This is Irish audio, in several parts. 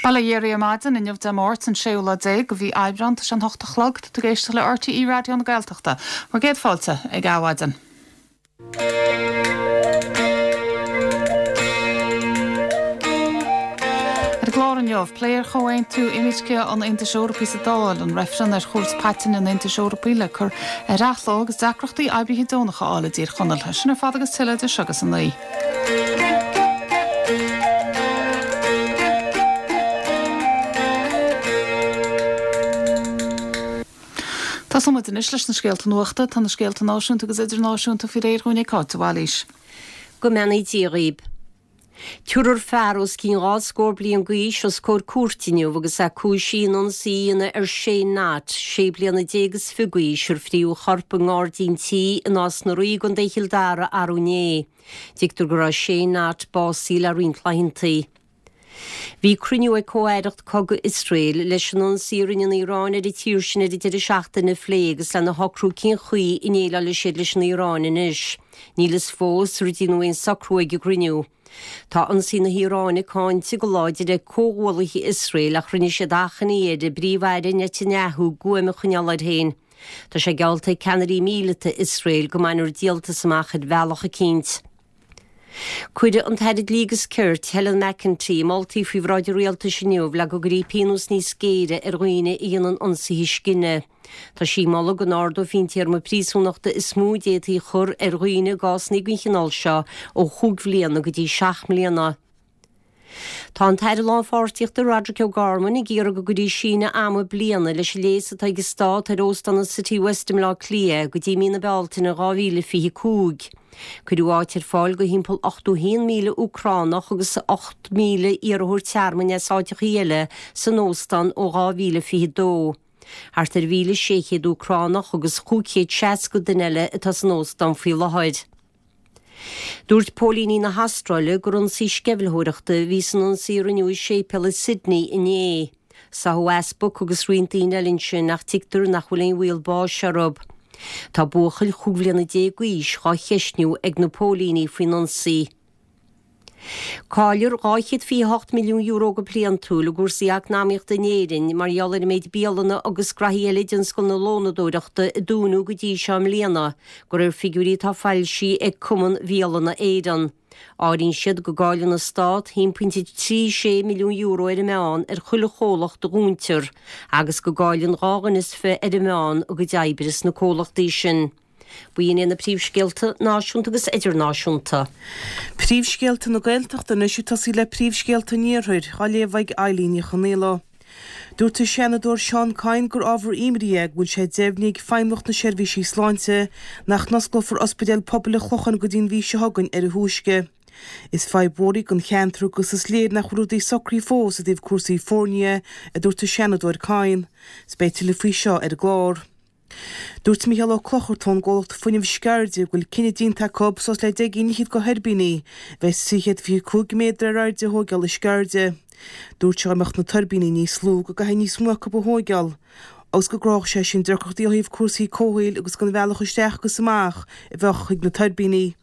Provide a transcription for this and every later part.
Bail ó Dhia oraibh ar maidin, inniu Dé Máirt, an séú lá déag de mhí Aibreán, tá sé an hocht a chlog, tá tú ag éisteacht le RTÉ Raidió na Gaeltachta. Bhur gcéad fáilte ag Adhmhaidin. Ar an gclár inniu, plé ar chomhaontú imirce an Aontais Eorpaigh sa Dáil, an reifreann ar Chúirt Paitinne an Aontais Eorpaigh le cur ar athló agus deacrachtaí oibrithe deonacha a fháil i dTír Chonaill. Sin ar fad agus tuilleadh idir seo agus a naoi. Tosóidh muid anois leis na scéalta nuachta. Tá na scéalta náisiúnta agus idirnáisiúnta faoi réir dhúinn ag Cáit de Bhailís. Go mbeannaí Dia dhaoib. Tabharfar fear os cionn dhá scór bliain d'aois os comhair cúirte inniu agus é cúisithe in ionsaí a dhéanamh ar Shane Knott, sé bliana déag is fiche d'aois, ar fríothadh a chorp i ngairdín tí i Nás na Rí i gContae Chill Dara arú inné. Tuigtear go raibh Shane Knott básaithe le roinnt laethanta. Bhí cruinniú ag Comh-Aireacht Cogaidh Iosrael leis an ionsaí a rinne an Iaráin ar an tír sin ar an deireadh seachtaine a phlé agus lena shocrú cén chaoi a ndéileálfaidh siad leis an Iaráin anois. Níl fhios fós ar déanadh aon socrú ag an gcruinniú. Tá ionsaí na hIaráine cáinte go láidir ag comhghuallaithe Iosrael ach rinne siad achainí ar an bPríomh-Aire Netanyahu guaim a choinneáil air féin. Tá sé geallta ag ceannairí míleata Iosrael go mbainfear díoltas amach ar bhealach eicínt. Cuirfidh an tAire Dlí agus Cirt, Helen McEntee, moltaí faoi bhráid an Rialtais inniu le go gcuirfí pionós níos géire ar dhaoine a dhéanann ionsaithe scine. Tá sí ag moladh go n-ardófaí an téarma príosúnachta is mó a d'fhéadfaí a chur ar dhaoine i gcásanna den chineál seo ó chúig bhliana go dtí seacht mbliana. Tá an tAire Lánpháirtíochta Roderic O'Gorman ag iarraidh go gcuirfí síneadh ama bliana leis an léas atá ag an Stát ar Óstán an Citywest i mBleá Cliath go dtí mí na Bealtaine 2025. Cuireadh áit ar fáil do thimpeall 81,000 Úcránach agus 8,000 iarrthóir tearmainn as áiteachaí eile san óstán ó 2022. Thart ar 1,600 Úcránach agus 560 duine eile atá san óstán faoi láthair. Dúirt póilíní na hAstráile gur ionsaí sceimhlitheoireachta a bhí san ionsaí a rinneadh i séipéal i Sydney inné. Sáthadh easpag agus roinnt daoine eile ansin ach tuigtear nach bhfuil aon bhaol báis orthu. Tá buachaill chúig bhliana déag d'aois dhá cheistniú ag na póilíní faoin ionsaí. Caillfear €228 milliún go bliantúil i gcúrsaí eacnamaíochta in Éirinn mar gheall ar an méid bialanna agus graithí eile i dtionscal na lónadóireachta a dúnadh go dtí seo i mbliana, de réir figiúirí atá foilsithe ag Cumann Bhialanna Éireann. Áiríonn siad go gcailleann an Stát €1.36 milliún ar an meán ar chuile chomhlacht a dhúntar agus go gcailleann dhá dhuine is fiche ar an meán a gcuid oibre sna comhlachtaí sin. B'in iad na príomhscéalta náisiúnta agus idirnáisiúnta. Príomhscéalta na Gaeltachta anois ag tosaí le príomhscéalta an Iarthair, á léamh ag Eilín Ní Chonaola. Dúirt an Seanadóir Seán Kyne gur ábhar imní é go bhfuil sé deimhnithe ag Feidhmeannacht na Seirbhísí Sláinte nach n-osclófar Ospidéal Pobail an Chlocháin go dtí an mhí seo chugainn ar a thúisce. Is fadhb mhór í don cheantar agus is léir nach bhfuil rudaí socraithe fós i dtaobh cúrsaí foirne, a dúirt an Seanadóir Kyne. 'S beidh tuilleadh faoi seo ar an gclár. Dúirt Mícheál Ó Clochartaigh ón gcomhlacht Fuinneamh Sceirde go bhfuil cinneadh déanta acu suas le 10 gcinn fhichead de thuirbíní a bheas 325 méadar ar airde a thóigeáil i Sceirde. Dúirt sé dá mbeadh na tuirbíní níos lú go gcaithfí níos mó acu a thóigeáil agus go gcruthódh sé sin deacrachtaí ó thaobh cúrsaí comhshaoil agus don bhealach isteach agus amach a bheadh chuig na tuirbíní.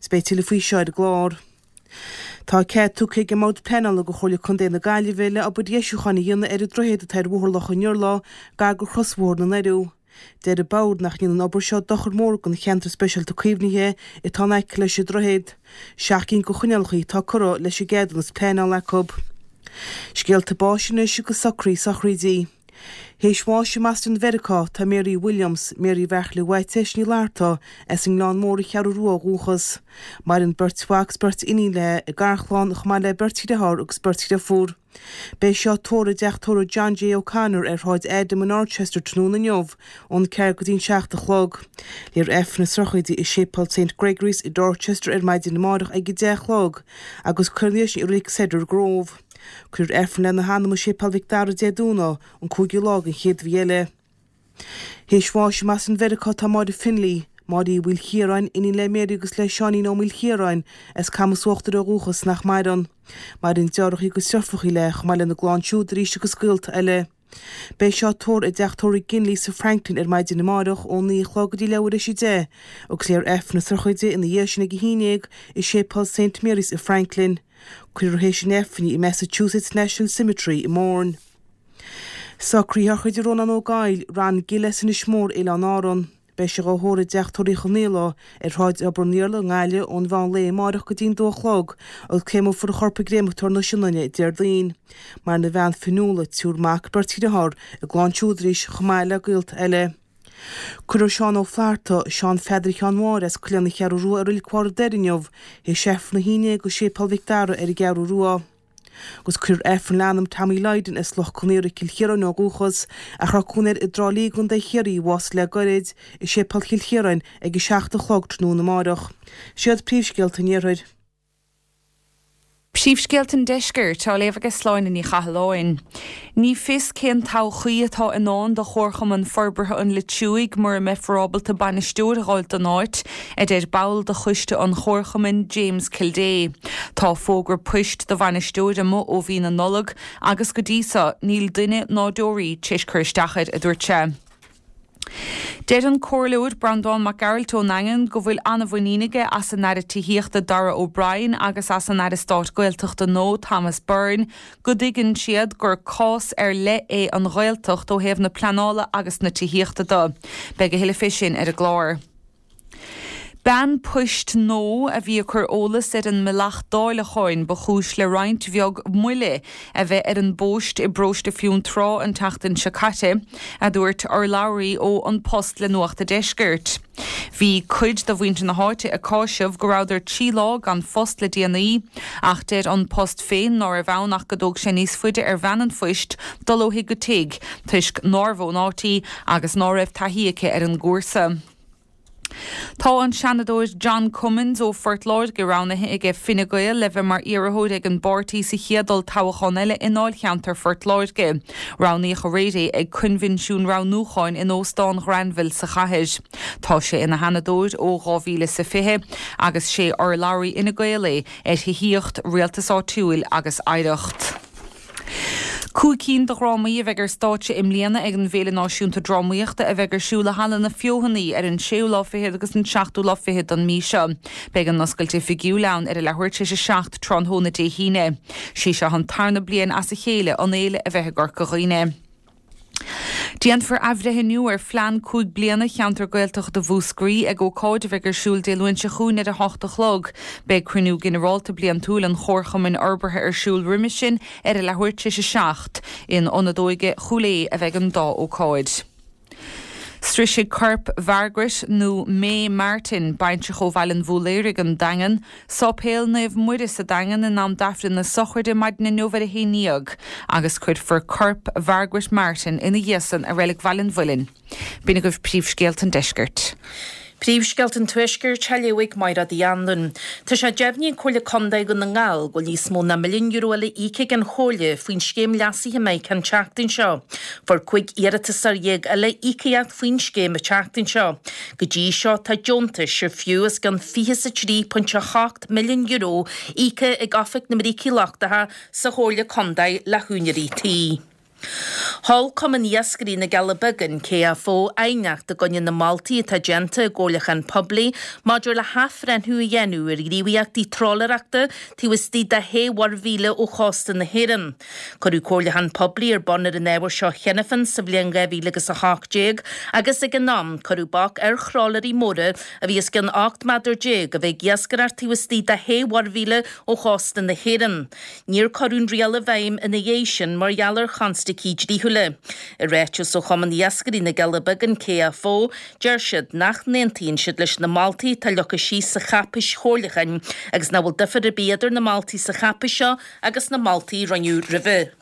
'S beidh tuilleadh faoi seo ar an gclár. Tá cead tugtha ag an mBord Pleanála do Chomhairle Contae na Gaillimhe le obair dheisiúcháin a dhéanamh ar an droichead atá ar Bhóthar Loch an Iarla gar do chrosbhóthar na nDoireadh. Deir an Bord nach ndéanann an obair seo dochar mór don cheantar speisialta caomhnaithe atá in aice leis an droichead. Seacht gcinn de choinníollacha atá curtha leis an gceadúnas pleanála acu. Scéalta báis anois agus socruithe sochraidí. Théis bháis i mBoston Mheiriceá tá Mary Williams, Mary Bheartla Mhaitiais Ní Fhlatharta, as an nGleann Mór an Cheathrú Rua ó dhúchas. Maireann beirt mhac 's beirt iníon léi, a garchlann, chomh maith le beirt dhriotháir agus beirt dhriofúr. Beidh sí á tórramh i dteach tórraimh John J. O'Connor ar Shráid Adam in Dorchester tráthnóna inniu ón ceathair go dtí an seacht a chlog. Léifear Aifreann na sochraide i Séipéal Saint Gregory's i Dorchester ar maidin amáireach ag a 10 a chlog agus cuirfear ina dhiaidh sin i Reilig Cedar Grove. Cuirfear Aifreann lena hanam i Séipéal Mhic Dara Dé Domhnaigh, an cúigiú lá den chéad mhí eile. Théis bháis i mBoston Mheiriceá tá Máire Finlay, Máire Uí Mhaoilchiaráin, iníon le Mary agus le Seáinín Ó Maoilchiaráin, as Camas Uachtair ó dhúchas, nach maireann. Maireann deartháireacha agus deirfiúracha léi, chomh maith lena gclann siúd arís agus gaolta eile. Beidh sí á tórramh i dteach tórraimh Ginley sa Franklin ar maidin amárach ón 9 a chlog go dtí leathuair théis 10 agus léifear Aifreann na sochraide ina dhiaidh sin ag a haon dhéag i Séipéal Saint Mary's i Franklin. Cuirfear théis an Aifrinn í i Massachusetts National Cemetery i mBourne. Socruithe á throid do Rónán Ó Gabhaill, Ron Gille as Inis Mór, Oileáin Árann. Beidh sé dhá thórramh i dteach tórraimh Uí Chonaola ar Shráid Obar an Iarla i nGaillimh ón mheán lae amáireach go dtí'n dó a chlog agus créamófar a chorp i gcréamatóir na Sionainne Déardaoin. Maireann a bhean Fionnuala, triúr mac, beirt dhriotháir, a gclann siúd arís chomh maith le gaolta eile. Cuirfear Seán Ó Flatharta, Seán Pheadair Sheáin Mháire as Coileán na Ceathrú Rua i Reilig Bharr an Doire inniu, théis Aifreann a haon déag i Séipéal Mhic Dara ar an gCeathrú Rua. Agus cuirfear Aifreann lena anam Tommy Lydon as Loch Con Aortha, Cill Chiaráin ó dhúchas, ach a raibh cónaí air i dTrá Lí i gContae Chiarraí, a bhásaigh le gairid, i Séipéal Chill Chiaráin ag 7 a chlog tráthnóna amáireach. Siad príomhscéalta an Iarthair. Príomhscéalta an Deiscirt á léamh ag Sláine Ní Chathalláin. Ní fios cén todhchaí atá i ndán do Chomharchumann Forbartha an Leitriúigh mura mbeifear ábalta bainisteoir a dh'fháilt don áit, a deir ball de choiste an chomharchumainn, James Kildea. Tá fógra poist do bhainisteoir amuigh ó mhí na Nollag agus go dtí so níl duine ná deoraí tar éis cur isteach air, a dúirt sé. Deir an Comhairleoir Breandán Mac Gearailt ón nDaingean go bhfuil an-mhuinín aige as an Aire Tithíochta Darragh O'Brien agus as an Aire Stáit Gaeltachta nua Thomas Byrne go dtuigeann siad gur cás ar leith é an Ghaeltacht ó thaobh na pleanála agus na tithíochta de. Beidh a thuilleadh fé sin ar an gclár. Bean poist nua a bhí ag cur eolas ar an mbealach dáileacháin ba chúis le roinnt bheag moille a bheith ar an bpost i bparóiste Fionntrá an tseachtain seo caite, a dúirt urlabhraí ó An Post le Nuacht a' Deiscirt. Bhí cuid de mhuintir na háite ag cáiseamh go rabhadar 3 lá gan phost le déanaí, ach deir An Post féin ná raibh ann ach go dtóg sé níos faide ar bhean an phoist dul ó thigh go tigh toisc nárbh ón áit í agus ná raibh taithí aici ar an gcúrsa. Tá an Seanadóir John Cummins ó Phort Láirge roghnaithe aige Fine Gael le bheith mar iarrthóir ag an bpáirtí sa chéad olltoghchán eile i ndáilcheantar Phort Láirge. Roghnaíodh aréir é ag coinbhinsiún roghnúcháin in Óstán Ghranville sa chathair. Tá sé ina Sheanadóir ó 2020 agus sé urlabhraí Fhine Gael é ar thithíocht, rialtas áitiúil agus oidhreacht. 5 cinn de dhrámaí a bheidh ar stáitse i mbliana ag an bhFéile Náisiúnta Drámaíochta a bheidh ar siúl i Halla na Feothanaí ar an séú lá fichead agus an seachtú lá fichead den mhí seo. Beidh an oscailt oifigiúil ann ar a leathuair tar éis a 7 tráthnóna Dé hAoine. Sí seo an tarna bliain as a chéile an fhéile a bheith i gCorca Dhuibhne. Déanfar athbhreithniú ar phlean 5 bliana Cheantar Gaeltachta Mhúscraí ag ócáid a bheidh ar siúl Dé Luain seo chugainn ar 8 a chlog. Beidh cruinniú ginearálta bliantúil an Chomharchumainn Fhorbartha ar siúl roimhe sin ar a leathuair tar éis a 7. In Ionad Óige Chúil Aodha a bheidh an dá ócáid. Sroisfidh corp Mhargaret nó May Martin, baintreach ó Bhaile an Bhúiléaraigh, an Daingean, Sáipéal Naomh Muire sa Daingean in am d'Aifreann na sochraide maidin inniu ar a haon ndéag agus cuirfear corp Mhargaret Martin ina dhiaidh san i Reilig Bhaile an Mhuilinn. B'in agaibh príomhscéalta an deiscirt. Príomhscéalta an Tuaiscirt á léamh ag Mairéad Uí Anluain. Tá sé deimhnithe ag Comhairle Contae Dhún na nGall go bhfuil níos mó ná €1 milliún eile íoctha ag an Chomhairle faoin scéim leasaithe Mechain an tseachtain seo. Fuair 15 iarratasóir eile íocaíocht faoin scéim an tseachtain seo. Go dtí seo tá deontais ar fiú os cionn €23.8 milliún íoctha ag Oifig na mBrící Lochtacha sa Chomhairle Contae le húinéirí tí. Sheol Cumann Iascairí na gCealla Beaga, an KFO, aighneacht i gcoinne na moltaí atá déanta i gcomhairliúchán poiblí maidir le hathbhreithniú a dhéanamh ar ghníomhaíochtaí trálaeireachta taobh istigh de shé mhuirmhíle ó chósta na hÉireann. Cuireadh comhairliúchán poiblí ar bun ar an ábhar seo cheana féin sa bhliain 2018 agus ag an am cuireadh bac ar thrálaeirí móra a bhí os cionn 18 méadar a bheith ag iascaireacht taobh istigh de shé mhuirmhíle ó chósta na hÉireann. Níor cuireadh an riail i bhfeidhm ina dhiaidh sin mar gheall ar chonstaicí dlíthiúla. I ráiteas ó Chumann Iascairí na gCealla Beaga, an KFO, deir siad nach n-aontaíonn siad leis na moltaí atá leagtha síos sa cháipéis chomhairliúcháin agus nach bhfuil difear ar bith idir na moltaí sa cháipéis seo agus na moltaí a rinneadh roimhe.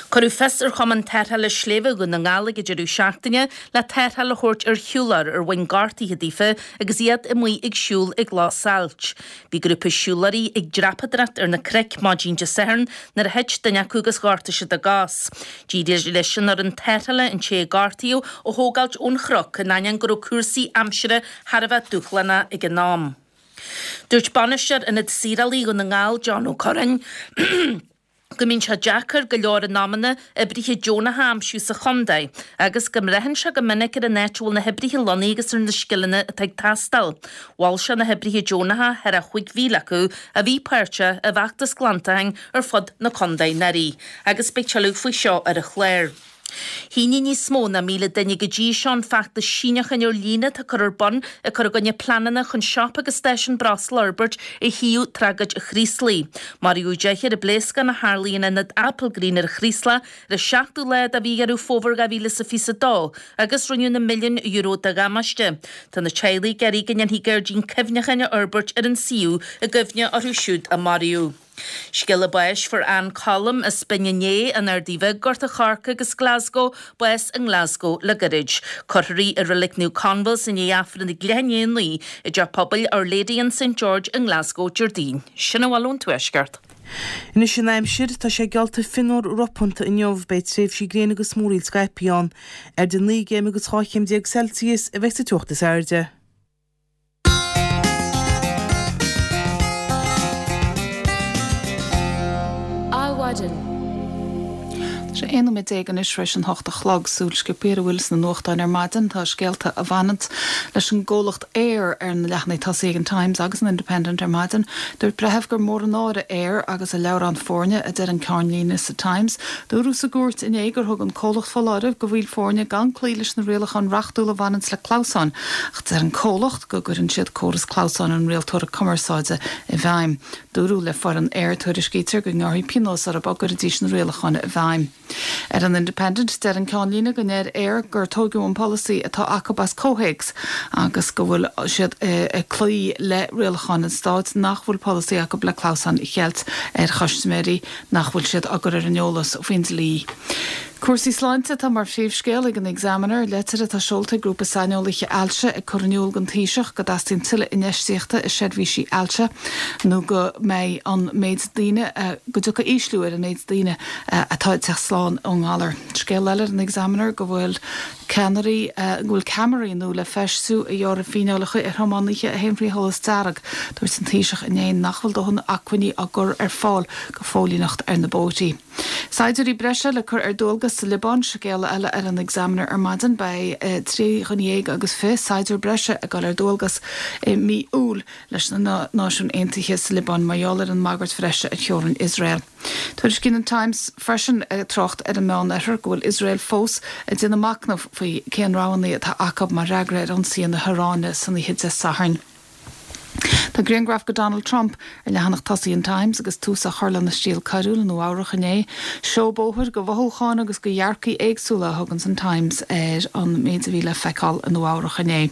Cuireadh fios ar Chumann Tarrthála Sléibhe Dhún na nGall ag an deireadh seachtaine le tarrtháil a thabhairt ar shiúlóir ar bhain gortuithe daofa agus iad amuigh ag siúl ag Loch Sailt. Bhí grúpa siúlóirí ag dreapadóireacht ar na cnoic maidin Dé Sathairn nuair a thit duine acu agus ghortaigh siad a gcos. D'éirigh leis an fhoireann tarrthála an té a gortaíodh a thógáilt ón chnoc in ainneoin go raibh cúrsaí aimsire thar a bheith dúshlánach ag an am. Dúirt Bainisteoir Ionad Saorálaí Dhún na nGall, John Ó Curráin. Go mbíonn sé deacair go leor in amanna oibrithe deonacha a aimsiú sa chontae agus go mbraitheann sé go minic ar an áit a bhfuil na hoibrithe lonnaithe agus ar na scileanna atá ag teastáil. Mhol sé na hoibrithe deonacha, thar 5,000 acu, a bhí páirteach i bhfeachtas glantacháin ar fud na contae anuraidh. Agus beidh tuilleadh faoi seo ar an chlár. Shínigh níos mó ná 1,000 duine go dtí seo an feachtas síniúcháin ar líne atá curtha ar bun ag cur i gcoinne pleananna chun siopa agus stáisiún breosla a fhorbairt ar shuíomh Tragóid an Chraoslaigh. Maraíodh deichniúr i bpléascán a tharlaigh in ionad Applegreen ar an Chraoslach ar an seachtú lá de mhí Dheireadh Fómhair 2022 agus rinneadh na milliúin euro de dhamáiste. Tá na teaghlaigh ag iarraidh go ndéanfaí gairdín cuimhneacháin a fhorbairt ar an suíomh i gcuimhne orthu siúd a maraíodh. Scéala báis Fuair Ann Colm as Binn an Fhé, an Ardaidh Bhig, Gort a' Choirce agus Glasgow, bás i nGlasgow le gairid. Cuirfear í i Reilig Naomh Conmha's i ndiaidh Aifreann ag leath i ndiaidh a 9 i dTeach Pobail Our Lady and St George i nGlasgow Déardaoin. Sin a bhfuil ón Tuaisceart. Anois an aimsir, tá sé geallta fionnuar ropánta inniu, beidh tréimhsí gréine agus múraíl scaipthe ann. Idir 9 gcéim agus 12 chéim Celsius a bheidh sa teocht is airde. Adhmhaidin. Tá sé 11 nóiméad anois tar éis an hocht a chlog. Súil sciobtha ar a bhfuil sna nuachtáin ar maidin. Tá scéalta a bhaineanns leis an gcomhlacht Eir ar na leathanaigh tosaigh ag an Times agus an Independent ar maidin. Dúirt breitheamh gur mór an náire Eir agus a leabhrán foirne, a deir an ceannlíne sa Times. Dúradh sa gcúirt inné gur thug an comhlacht foláireamh do bhaill foirne gan cloí leis na rialacháin reachtúla a bhaineanns le clamhsáin. Ach deir an comhlacht go gcuireann siad córas clamhsáin an rialtóra cumarsáide i bhfeidhm. Dúradh le foireann Eir, tuairiscítear, go ngearrfaí pionós orthu dá gcuirfidís na rialacháin i bhfeidhm. Ar an Independent, deir an ceannlíne go ndeir Eir gur tóigeadh an polasaí atá acu as comhthéacs agus go bhfuil siad ag cloí le rialacháin an stáit nach bhfuil polasaí acu le clamhsáin a cheilt ar chustaiméirí nach bhfuil siad á gcur ar an eolas faoin dlí. Cúrsaí sláinte atá mar phríomhscéal ag an Examiner, leitir atá seolta ag grúpa saineolaithe ailse ag cur in iúl don Taoiseach go dteastaíonn tuilleadh infheistíochta i seirbhísí ailse nó go mbeidh an méid daoine, go dtiocfaidh ísliú ar an méid daoine atá ag teacht slán ón ngalar. Scéal eile ar an Examiner go bhfuil ceannairí, go bhfuil ceamaraí nua le feistiú a ghearrfaidh fíneálacha ar thiománaithe a théann faoi sholas dearg. Dúirt an Taoiseach inné nach bhfuil dóthain acmhainní á gcur ar fáil go phóilíneacht ar na bóithrí. Saighdiúirí breise le cur ar dualgas sa Liobáin, scéal eile ar an Examiner ar maidin. Beidh 23 dhuine agus saighdiúir breise ag dul ar dualgas i mí Iúil leis na Náisiúin Aontaithe sa Liobáin mar gheall ar an mbagairt bhreise ar theorainn Iosrael. Tuairiscíonn an Times freisin, ag trácht ar an Meánoirthear, go bhfuil Iosrael fós ag déanamh machnaimh faoi cén roghanna atá acu mar fhreagra ar ionsaithe na hIaráine san oíche Dé Sathairn. Tá grianghraf de Donald Trump ar leathanach tosaigh an Times agus tús á chur lena thriail coiriúil i Nua Eabhrach inné. Seó bóthair de mhothúcháin agus de dhearcaí éagsúla a thuganns an Times ar an méid a bhí le feiceáil i Nua Eabhrach inné.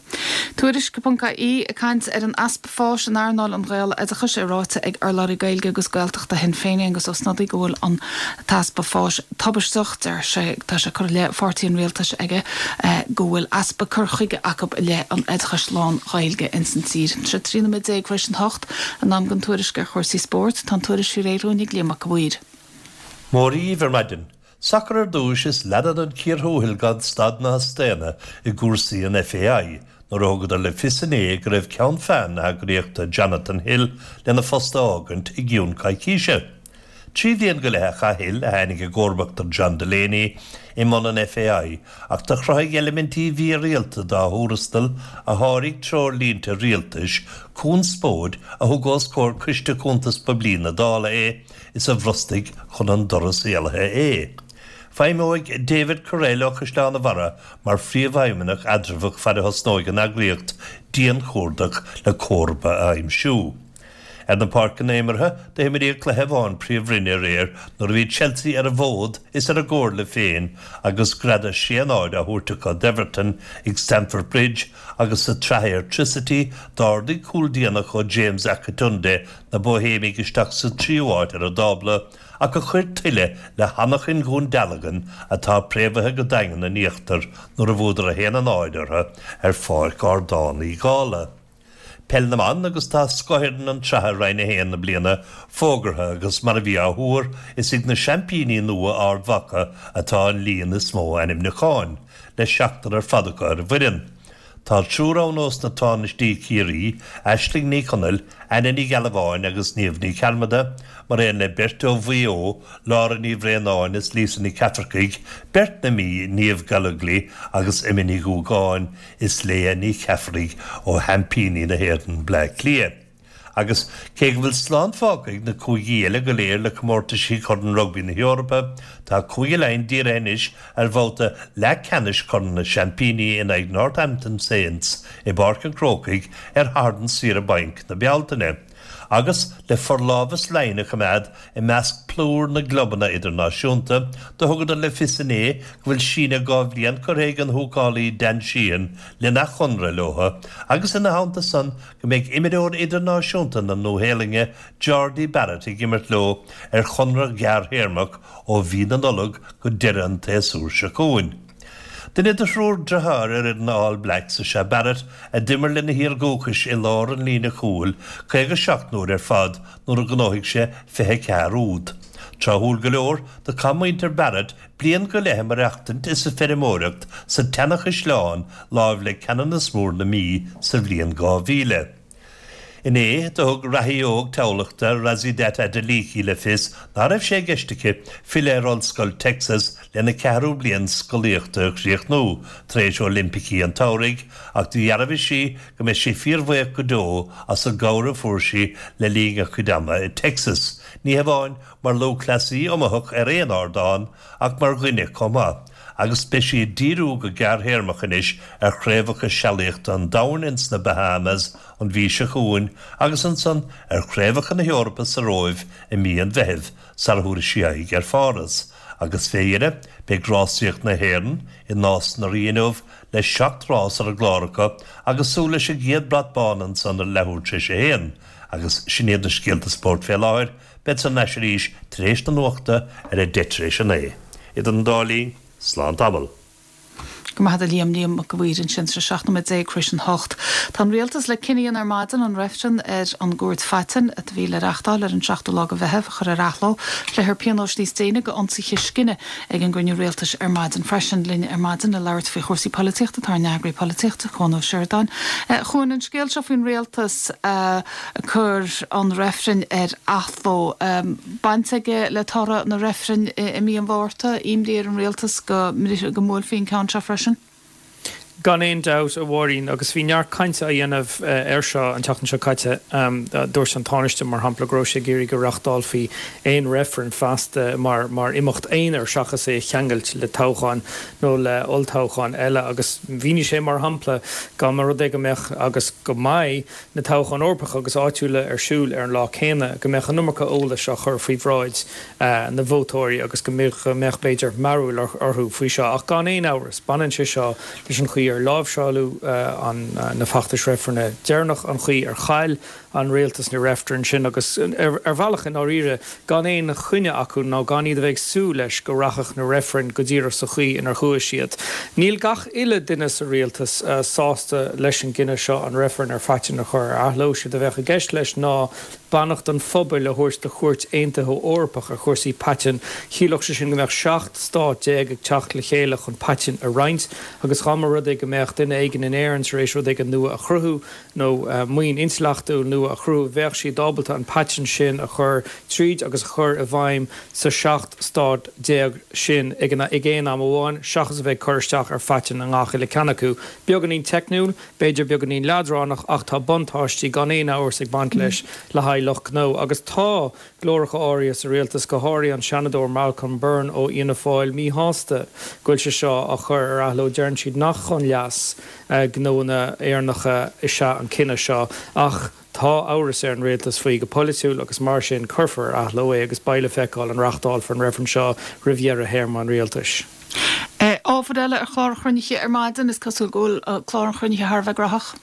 Tuairisc.ie ag caint ar an easpa fáis in earnáil an Ghaeloideachais é ráite ag urlabhraí Gaeilge agus Gaeltachta Shinn Féin Aengus Ó Snodaigh go bhfuil an t-easpa fáis tubaisteach. Deir sé, tá sé curtha i leith pháirtí an rialtais aige go bhfuil easpa cur chuige acu i leith an oideachais lán-Ghaeilge ins an tír. Tá sé 13 nóiméad tar éis an hocht, in am don tuairisc ar chúrsaí spóirt. Tá an tuairisc faoi réir dúinn ag Liam Mac a' Mhaoir. Mora dhaoibh ar maidin. Sacar ar dtúis is leanann an cíor thuathail gan stad ná staonadh i gcúrsaí an FAI nuair a thugadar le fios inné go raibh ceann feadhain na heagraíochta Jonathan Hill lena phost a fhágaint i gcionn coicíse. Trí bhliain go leith a chaith Hill, a tháinig i gcomharbacht ar John Delaney, i mbun an FAI ach do chruthaigh eilimintí mhírialta dá thuarastal a sháraigh treoirlínte rialtais conspóid a thug os comhair Coiste Cuntas Poiblí na Dála é is a bhrostaigh chun an doras éalaithe é. Feidhmeoidh David Courell ó Chaisleán an Bharraigh mar phríomhfheidhmeannach eatramhach fad a thosnóidh an eagraíocht dianchuardach le comharba a aimsiú. Ar na páirceanna imeartha, d'imríodh cluiche amháin Príomhroinne aréir nuair a bhí Chelsea ar a bhfód is ar a gcomhairle féin agus greadadh 6-0 á thabhairt acu d'Everton ag Stamford Bridge agus sa tSraith Airtricity d'ardaigh cúl déanach ó James Akintunde na Bóihéimigh isteach sa tríú háit ar an dtábla ach a chuir tuilleadh le hanachain Dhún Dealgan atá préamhaithe go daingean in íochtar nuair a bhuadar 1-0 orthu ar Pháirc Ardán Uí Dhálaigh. Peil na mBan agus tá scothfhoireann an tSraithe Roinn 1 na bliana fógartha agus mar a bhí á thuar, is ag na seaimpíní nua Ard Mhacha atá an líon is mó ainmniúcháin, le seachtar ar fad acu ar an bhfoireann. Tá triúr ann ós na Tánaistí Ciarraí, Aisling Ní Chonaill, Anna Ní Ghealbháin agus Niamh Ní Chearmada, mar aon le beirt ó Mhaigh Eo, Lára Ní Bhraonáin is Lisa Ní Cheafarcaigh, beirt na Mí, Niamh Gallogly agus Emma Ní Dhúgáin is Leah Ní Cheafarraigh ó sheaimpíní na hÉireann, Bleá Cliath. Agus cé go bhfuil slán fágtha ag na cúigí eile go léir le comórtaisí Chorn Rugbaí na hEorpa, tá Cúige Laighean dírithe anois ar bhabhta leathcheannais Chorn na Seaimpíní in aghaidh Northampton Saints i bPáirc an Chrócaigh ar Shatharn saoire bainc na Bealtaine. Agus le forlámhas Laighean a choimeád i measc plúr na gclubanna idirnáisiúnta, do thugadar le fios inné go bhfuil síneadh 2 bhliain curtha ag an húcálaí Dan Sheehan lena chonradh leo agus ina theannta san go mbeidh imreoir idirnáisiúnta na Nua-Shéalainne Jordie Barrett ag imirt leo ar chonradh gearrthéarmach ó mhí na Nollag go deireadh an tséasúir seo chugainn. Duine de thriúr deartháir ar fhoireann na All Blacks is ea Barrett a d'imir lena thír dhúchais i lár an líne chúil 57 n-uair ar fad nuair a ghnóthaigh sé 24 úd. Tráthúil go leor, do chaith muintir Barrett bliain go leith ag maireachtaint is ag feirmeoireacht sa tSeanachaisleán láimh le Ceanannas Mór na Mí sa bhliain 2000. Inné, do thug reathaí óg Thamhlachta, Rhasidat Adeleke le fios ná raibh sé i gceist aici filleadh ar Ollscoil Texas lena ceathrú bliain scolaíochta a chríochnú tar éis Oilimpicí an tSamhraidh ach do dhearbhaigh sí go mbeidh sí fíorbhuíoch go deo as an gcabhair a fuair sí le linn a cuid ama i Texas, ní hamháin mar lúthchleasaí iomaitheach ar aon ardán ach mar dhuine chomh maith, agus beidh sí ag díriú go gearrthéarmach anois ar Chraobhacha Sealaíochta an Domhain ins na Bahamas an mhí seo chugainn agus ansan ar Chraobhacha na hEorpa sa Róimh i mí an Mheithimh sara thabharfaidh sí aghaidh ar Pháras. Agus fé dheireadh, beidh rásaíocht na hÉireann i Nás na Rí inniu le 7 rás ar an gclár acu agus súil leis an gcéad brat bán ansan ar leathuair tar éis a haon. Agus sin iad na scéalta spóirt fé láthair. Bead thar n-ais arís tar éis na nuachta ar a 9:10 tar éis a 9. Idir an dá linn, slán tamall. Go maith a Liam, Liam Mac a' Mhaoir ansin, 17 nóiméad tar éis an hocht. Tá an Rialtas le cinneadh a dhéanamh ar maidin an reifreann ar an gCúirt Phaitinn, a bhí le reachtáil ar an seachtú lá de Mheitheamh, a chur ar athló. Pléifear pionóis níos déine do ionsaithe scine ag an gcruinniú Rialtais ar maidin freisin. Linn ar maidin le labhairt faoi chúrsaí polaitíochta tá ár n-eagraí polaitíochta, Cuan Ó Seireadáin. A Chuain, an scéal seo faoin Rialtas a. cur an reifrinn ar athló. Baint aige le toradh na reifrinn i mí an Mhárta, imní ar an rialtas go mbuailfí an ceann seo freisin. Gan aon dabht, a Mháirín, agus bhí neart cainte á dhéanamh air seo an tseachtain seo caite. Dúirt an Tánaiste, mar shampla, go raibh sé ag iarraidh go reachtálfaí aon reifreann feasta mar imeacht aonair seachas é a cheangailt le toghchán nó le olltoghchán eile agus mhínigh sé, mar shampla, dá mba rud é go mbeadh, agus go mbeidh, na toghcháin Eorpacha agus áitiúla ar siúl ar an lá céanna, go mbeadh an iomarca eolais á chur faoi bhráid na vótóirí agus go mbeadh, b'fhéidir, mearbhall orthu faoi seo. Ach gan aon amhras, baineann sé seo leis an chaoi ar láimhseáladh na feachtais reifrinne deireanach, an chaoi ar chaill an rialtas na reifrinn sin agus, ar bhealach, i ndáiríre, gan aon choinne acu nó gan iad a bheith ag súil leis go rachadh na reifrinn go díreach sa chaoi inar chuaigh siad. Níl gach uile duine sa rialtas sásta leis an gcinneadh seo an reifreann ar phaitinn a chur ar athló. Séard a bheadh i gceist leis ná beannacht an phobail a thabhairt do Chúirt Aontaithe Eorpach ar chúrsaí paitinn. Chiallódh sé sin go mbeadh 17 stát ag teacht le chéile chun paitinn a roinnt agus dá mba rud é go mbeadh duine éigin in Éirinn tar éis rud éigin nua a chruthú, nó maoin intleachtúil nua a chruthú, bheadh siad ábalta an paitinn sin a chur tríd agus a chur i bhfeidhm sa 17 stát sin ag aon am amháin, seachas a bheith ag cur isteach ar phaitinn i ngach uile ceann acu. Beagáinín teicniúil, b'fhéidir beagáinín leadránach, ach tá buntáistí gan aon amhras ag baint leis le haghaidh lucht gnó. Agus tá glóracha áirithe sa rialtas, go háirithe an Seanadóir Malcolm Byrne ó Fhianna Fáil, míshásta go bhfuil sé seo á chur ar athló. Deireann siad nach chun leas gnóanna Éireannacha is ea an cinneadh seo ach tá amhras ar an rialtas faoi go polaitiúil agus mar sin cuirfear ar athló é agus beidh le feiceáil an reachtálfar an reifreann seo roimh dheireadh théarma an rialtais. Ábhar eile ar chlár an chruinnithe ar maidin, is cosúil go bhfuil clár an chruinnithe thar a bheith graitheach.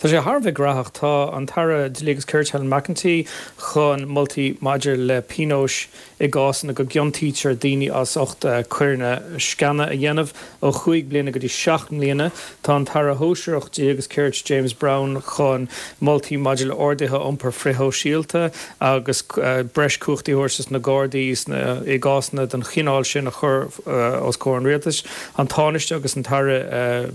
Tá sé thar a bheith gnaitheach. Tá an tAire Dlí agus Cirt Helen McEntee chun moltaí maidir le pionóis i gcásanna go gciontaítear daoine as ucht coireanna sceana a dhéanamh, ó chúig bliana go dtí 7 mbliana. Tá an tAire Shóisearach Dlí agus Cirt James Browne chun moltaí maidir le orduithe iompair frithshóisialta agus breis cumhachtaí a thabhairt dos na Gardaí i gcásanna den chineál sin a chur os comhair an Rialtais. An Tánaiste agus an tAire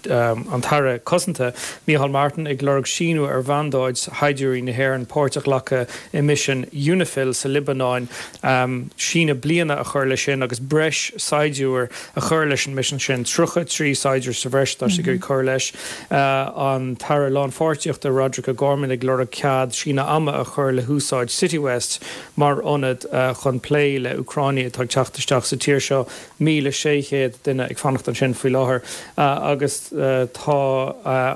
an tAire Cosanta, Micheál Martin, ag lorg síniú ar mhandáid shaighdiúirí na hÉireann páirt a ghlacadh i misean Unifil sa Liobáin, síneadh bliana a chur leis sin agus breis saighdiúir a chur leis an misean sin, 33 saighdiúir sa bhreis atá siad ag iarraidh cur leis. An tAire Lánpháirtíochta, Roderic O'Gorman, ag lorg cead síneadh ama a chur le húsáid Citywest mar ionad chun plé le Úcránaigh atá ag teacht isteach sa tír seo. 1,600 duine ag fanacht ansin faoi láthair agus tá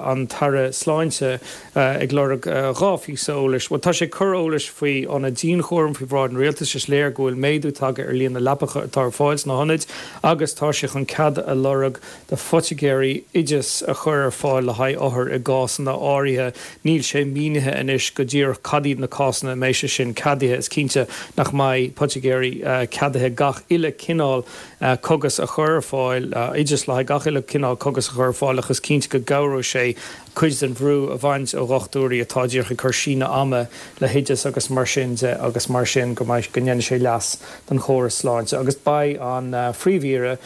an tAire Sláinte ag lorg 2 phíosa eolais. Bhuel, tá sé ag cur eolais faoi ionaid dianchúraim faoi bhráid an Rialtais. Is léir go bhfuil méadú tagtha ar líon na leapacha atá ar fáil sna hionaid agus tá sé chun cead a lorg do phoitigéirí oideas a chur ar fáil le haghaidh othair i gcásanna áirithe. Níl sé mínithe anois go díreach cad iad na cásanna a mbeidh sé sin ceadaithe. Is cinnte nach mbeidh poitigéirí ceadaithe gach uile cineál cógas a chur ar fáil, oideas le haghaidh gach uile cineál cógas a chur ar fáil ach is cinnte go gcabhróidh sé cuid den bhrú a bhaint ó dhochtúirí atá díreach ag cur síneadh ama le hoideas agus mar sin de agus mar sin go mbeidh, go ndéanfaidh sé leas don chóras sláinte. Agus beidh an Phríomh-Aoire,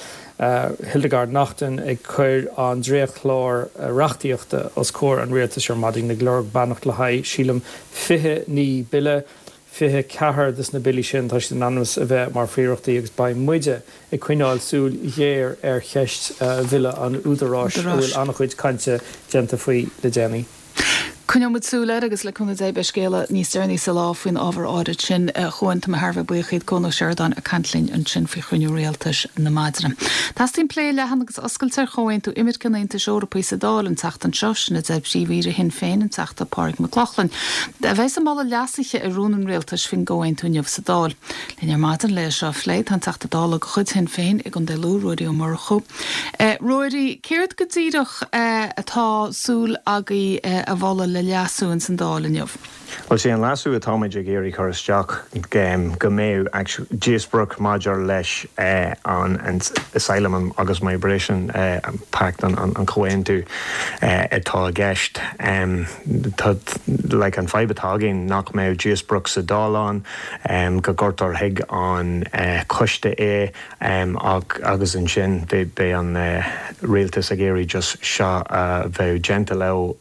Hildegarde Naughton ag cur an dréachtchlár reachtaíochta os comhair an Rialtais ar maidin, ag lorg beannacht le haghaidh, sílim, 29 bille, 24 de na billí sin, tá siad in ainm is a bheith mar phríorachtaí agus beidh muide ag coinneáil súil ghéar ar cheist Bhille an Údaráis a bhfuil an-chuid cainte déanta faoi le déanaí. Coinneoidh muid súil air agus le cúnamh Dé beidh scéala níos deireanaí sa lá faoin ábhar áirid sin chugainn. Tá mé thar a bheith buíoch díot Cuan Ó Seireadáin ag caint linn ansin faoi chruinniú rialtais na maidine. Teastaíonn plé leathan agus oscailte ar Chomhaontú Imirce an Aontais Eorpaigh sa Dáil an tseachtain seo, sin a deir Príomh-Aoire Shinn Féin, an Teachta Pádraig Mac Lochlainn, a bheas ag moladh leasuithe ar rún an rialtais faoin gcomhaontú inniu sa Dáil. Linn ar maidin le é seo a phlé tá an Teachta Dála de chuid Shinn Féin i gContae Lú, Ruairí Ó Murchú. Ruairí, céard go díreach atá súil agaibh a mholadh le leasú ins an Dáil inniu? Bhuel, sé an leasú atáimid ag iarraidh cur isteach go mbeadh díospóireacht maidir leis an Asylum agus Migration Pact, an comhaontú atá i gceist. Tá, like, an fadhb atá againn nach mbeadh díospóireacht sa Dáil ann, go gcuirtear chuig an choiste é, Ach agus ansin beidh an rialtas ag iarraidh just seo a bheith déanta leo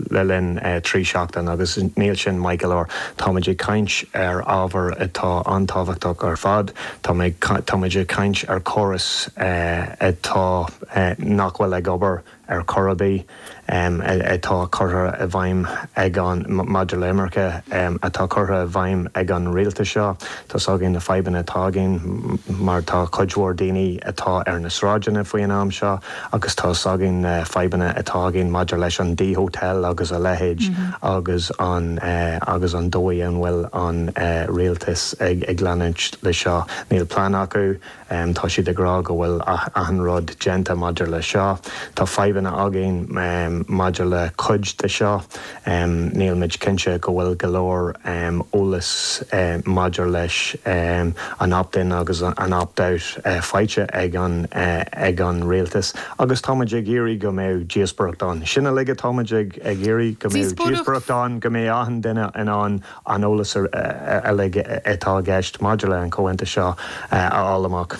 le linn 3 seachtain agus níl sin maith go leor. Táimid ag caint ar ábhar atá an-tábhachtach ar fad. Táimid ag caint ar chóras atá nach bhfuil ag obair. ar chor ar bith, atá curtha i bhfeidhm ag an, maidir le imirce, atá curtha i bhfeidhm ag an rialtas seo. Tá's againn na fadhbanna atá againn mar tá cuid mhór daoine atá ar na sráideanna faoi an am seo agus tá's againn na fadhbanna atá againn maidir leis an D-Hotel agus a leithéid agus an, agus an dóigh an bhfuil an rialtas ag leanúint le seo. Níl plean acu. Tá siad ag rá go bhfuil achan rud déanta maidir le seo. Tá fadhbanna againn maidir le cuid de seo. Níl muid cinnte go bhfuil go leor eolas maidir leis an opt-in agus an opt-out faighte ag an ag an rialtas agus tá muid ag iarraidh go mbeadh díospóireacht ann. Sin uilig atá muid ag iarraidh, go mbeadh díospóireacht ann, go mbeadh achan duine in ann an eolas uilig atá i gceist maidir le an comhaontú seo a fháil amach.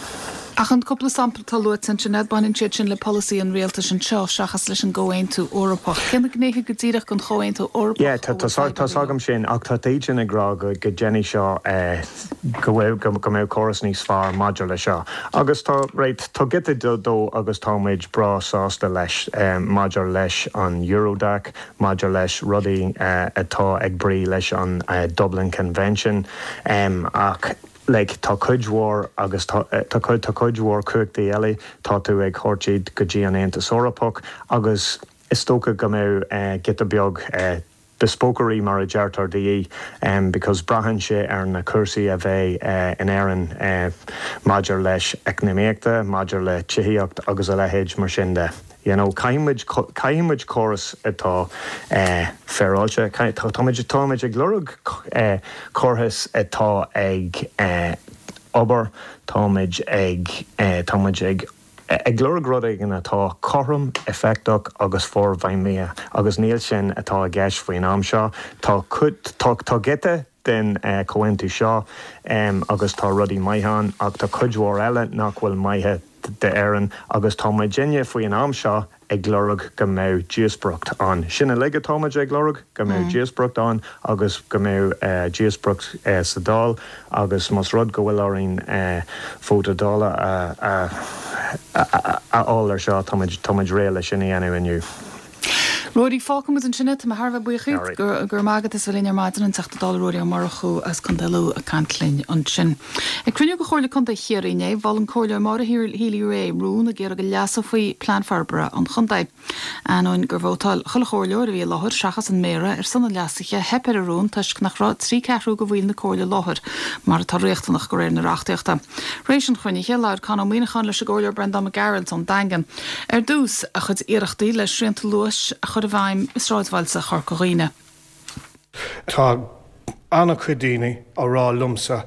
Ach an cúpla sampla atá luaite ansin, an mbaineann siad sin le polasaí an rialtais anseo seachas leis an gComhaontú Eorpach. Cé na gnéithe go díreach den Chomhaontú Eorpach a bhfuil fadhbanna leo? Tá's agam sin, ach tá iadsan ag rá go ndéanfaidh seo, go mbeadh córas níos fearr maidir le seo. Agus tá, right, tá giota dó agus tá muid breá sásta leis maidir leis an Eurodac, maidir leis rudaí atá ag brí leis an Dublin Convention ach like tá cuid mhór agus tá tá tá cuid mhór cumhachtaí eile tá tú ag thabhairt iad go dtí an Aontas Eorpach agus is dócha go mbeadh giota beag. bespokery mar a deirtear de dhíth because braitheann sé ar na cúrsaí a bheidh in Éirinn maidir leis eacnamaíochta, maidir le tithíocht agus a leithéid mar sin de. You know, caithfidh muid, caithfidh muid córas atá féaráilte, táimid, táimid ag lorg córas atá ag obair, táimid ag, táimid ag ag lorg rud éigin atá cothrom, éifeachtach agus forfheidhmithe agus níl sin atá i gceist faoin am seo. Tá cuid, tá, tá giota den chomhaontú seo agus tá rudaí maithe ann ach tá cuid mhór eile nach bhfuil maithe d'Éirinn agus tá muidinne faoi an am seo ag lorg go mbeadh díospóireacht ann. Sin uilig atá muid ag lorg, go mbeadh díospóireacht ann agus go mbeadh díospóireacht sa Dáil agus más rud go bhfuil orainn vóta Dála a fháil ar seo, tá muid, tá muid réidh le sin a dhéanamh inniu. Ruairí, fágfaidh muid ansin é. Tá mé thar a bheith buíoch díot. Go raibh maith agat as a bheith linn ar maidin, an Teachta Dála Ruairí Ó Murchú as Contae Lú ag caint linn ansin. Ag cruinniú de Chomhairle Contae Chiarraí inné, mhol an Comhairleoir Maura Healy-Rae rún ag iarraidh go leasófaí Plean Forbartha an Chontae. Ainneoin gur vótáil chuile chomhairleoir a bhí i láthair, seachas an Méara, ar son an leasaithe, theip ar an rún toisc nach raibh 3/4 de bhaill na Comhairle i láthair, mar atá riachtanach de réir na reachtaíochta. Tar éis an chruinnithe, labhair Con Ó Muíneacháin leis an gComhairleoir Breandán Mac Gearailt ón Daingean. Ar dtús, a chuid iarrachtaí le srianta luais a chur i bhfeidhm i sráidbhailte Chorca Dhuibhne. Tá an-chuid daoine á rá liomsa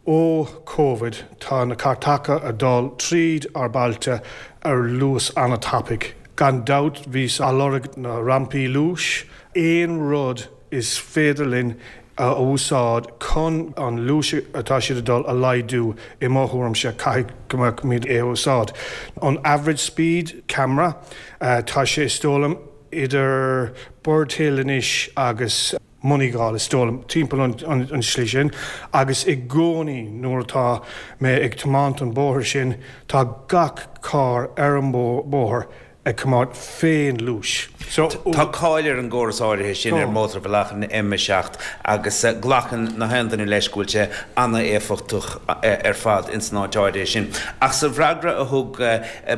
ó Covid tá na cairteacha a dul tríd ár bailte ar luas an-tapaidh. Gan dabht bhíos á lorg na rampaí luais, aon rud is féidir linn a úsáid chun an luas atá siad ag dul a laghdú, i mo thuairimse, caithfidh go mbeimid é a úsáid. An average speed camera, tá sé is dóigh liom idir Birdhill anois agus Moneygall, is dóigh liom, timpeall an tslí sin, agus i gcónaí nuair atá mé ag tiomáint an bóthar sin, tá gach carr ar an bóthar ag tiomáint fén luas. So. Tá cáil ar an gcóras áirithe sin ar mhótarbhealach an M7 agus glacann na haon duine leis go bhfuil sé an-éifeachtach ar fad ins an áit áirithe sin. Ach sa bhfreagra a thug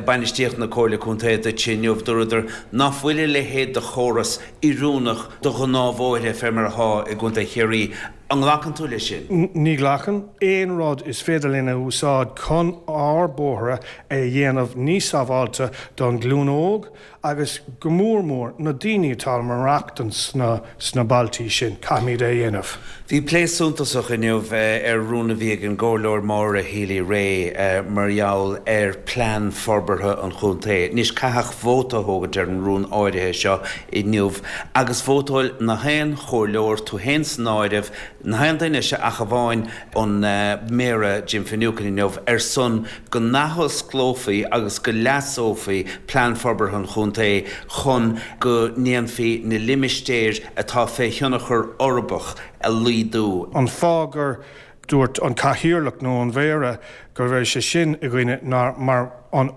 bainistíocht na Comhairle Contae duit inniu, dúradar ná fuil a leithéid de chóras oiriúnach do ghnáthbhóithre fé mar atá i gContae Chiarraí. An nglacann tú leis sin? Ní ghlacann. Aon rud is féidir linn a úsáid chun ár bóithre a dhéanamh níos sábháilte don ghlúin óg agus go mór mór na daoine atá ag maireachtaint sna bailtí sin, caithfimid é a dhéanamh. Bhí plé suntasach inniu ar rún a bhí ag an gComhairleoir Maura Healy-Rae mar gheall ar Plean Forbartha an Chontae. Anois caitheadh vóta a thógaint ar an rún áirithe seo inniu agus vótáil na haon chomhairleoir, tú féin san áireamh, na haon duine ach amháin an Méara Jim Finucane inniu, ar son go n-athosclófaí agus go leasófaí Plean Forbartha an Chontae chun go ndéanfaí na limistéir atá fé thionchar uirbeach a laghdú. An fáth gur Dúirt an cathaoirleach nó an mhéara go raibh sé sin i gcoinne ná mar an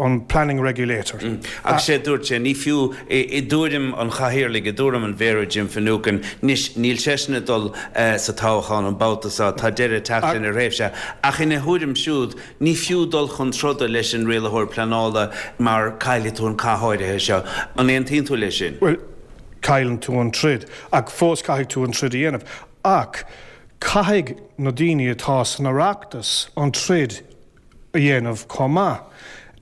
an planning regulator. Agus sé a dúirt sé, ní fiú, i dtuairim an chathaoirligh, i dtuairim an Mhéara Jim Finucane, anois níl seisean ag dul sa toghchán an babhta seo, tá deireadh ag teacht lena thréimhse, ach ina thuairim siúd, ní fiú dul chun troda leis an rialaitheoir pleanála mar caillfidh tú an cath áirithe seo. An aontaíonn tú leis sin? Bhuel, cailleann tú an troid, ach fós caithfidh tú an troid a dhéanamh. Ach caithfidh na daoine atá san Oireachtas an troid a dhéanamh chomh maith.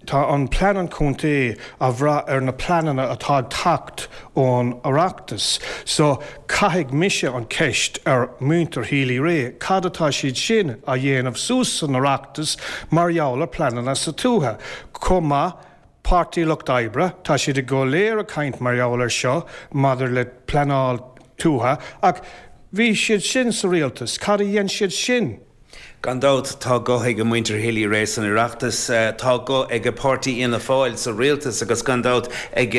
Tá an plean an chontae á bhrath ar na pleananna atá ag teacht ón Oireachtas. So caithfidh mise an ceist ar muintir Healy-Rae, cad atá siad sin a dhéanamh suas san Oireachtas mar gheall ar pleananna sa tuaithe? Chomh maith Páirtí Lucht Oibre, tá siad go léir ag caint mar gheall ar seo maidir le pleanáil tuaithe, ach bhí siad sin sa rialtas, cad a dhein siad sin? Gan dabht, tá guth ag muintir Healy-Rae san Oireachtas, tá guth ag páirtí Fhianna Fáil sa rialtas agus gan dabht ag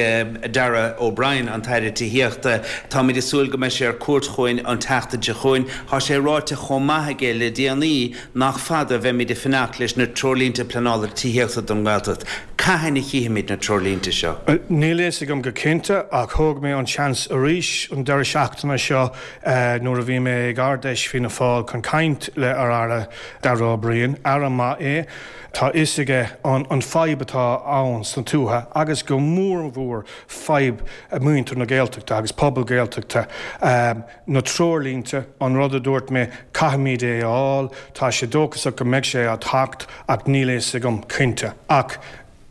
Darragh O'Brien, an tAire Tithíochta. Táimid ag súil go mbeidh sé ar cuairt chugainn an tseachtain seo chugainn. Tá sé ráite chomh maith aige le déanaí Nach fada a bheimid ag fanacht leis na treoirlínte pleanála tithíochta don nGaeltacht. Cathain a chífimid na treoirlínte seo? Níl a fhios agam go cinnte ach thóg mé an seans arís an deireadh seachtaine seo nuair a bhí mé ag Ard-Fheis Fianna Fáil chun caint le ar Aire. Darragh O'Brien, Aire maith é, tá fhios aige an fadhb atá ann sna tuaithe agus go mór mhór fadhb muintir na Gaeltachta agus pobal Gaeltachta. Na treoirlínte, an rud a dúirt mé, caithfimid é a fháil, tá sé dóchasach go mbeidh sé á theacht ach níl a fhios agam cinnte. Ach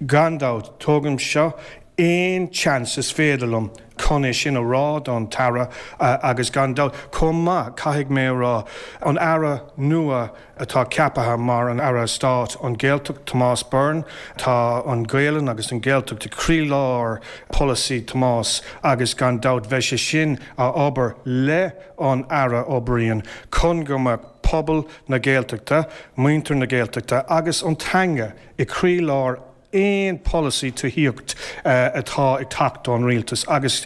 gan dabht, tógaim seo aon chance is féidir liom chun é sin a rá don tAire agus gan dabht, chomh maith, caithfidh mé a rá, an Aire nua atá ceapaithe mar an Aire Stáit an Ghaeltacht, Tomás Byrne, tá an Ghaelainn agus an Ghaeltacht i croílár polasaí Tomás agus gan dabht bheidh sé sin a obair le an Aire O'Brien chun go mbeadh pobal na Gaeltachta, muintir na Gaeltachta agus an teanga i croílár aon polasaí tithíocht atá ag teacht ón rialtas agus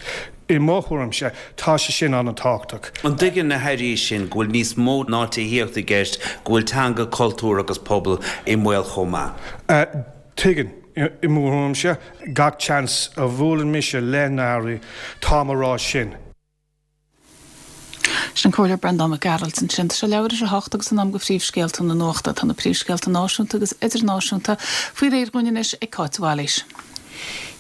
i mo thuairimse tá sé sin an-tábhachtach. An dtuigeann na hairí sin go bhfuil níos mó ná tithíocht i gceist, go bhfuil teanga, cultúr agus pobal i mbaol chomh maith? Tuigeann. I mo thuairimse, gach seans a bhuaileann mise le na hairí, táim a rá sin. Sin an Comhairleoir Breandán Mac Gearailt ansin. Tá sé leathuair tar éis a hocht agus in am do phríomhscéalta na nuachta. Tá na príomhscéalta náisiúnta agus idirnáisiúnta faoi réir dhúinn anois ag Cáit de Bhailís.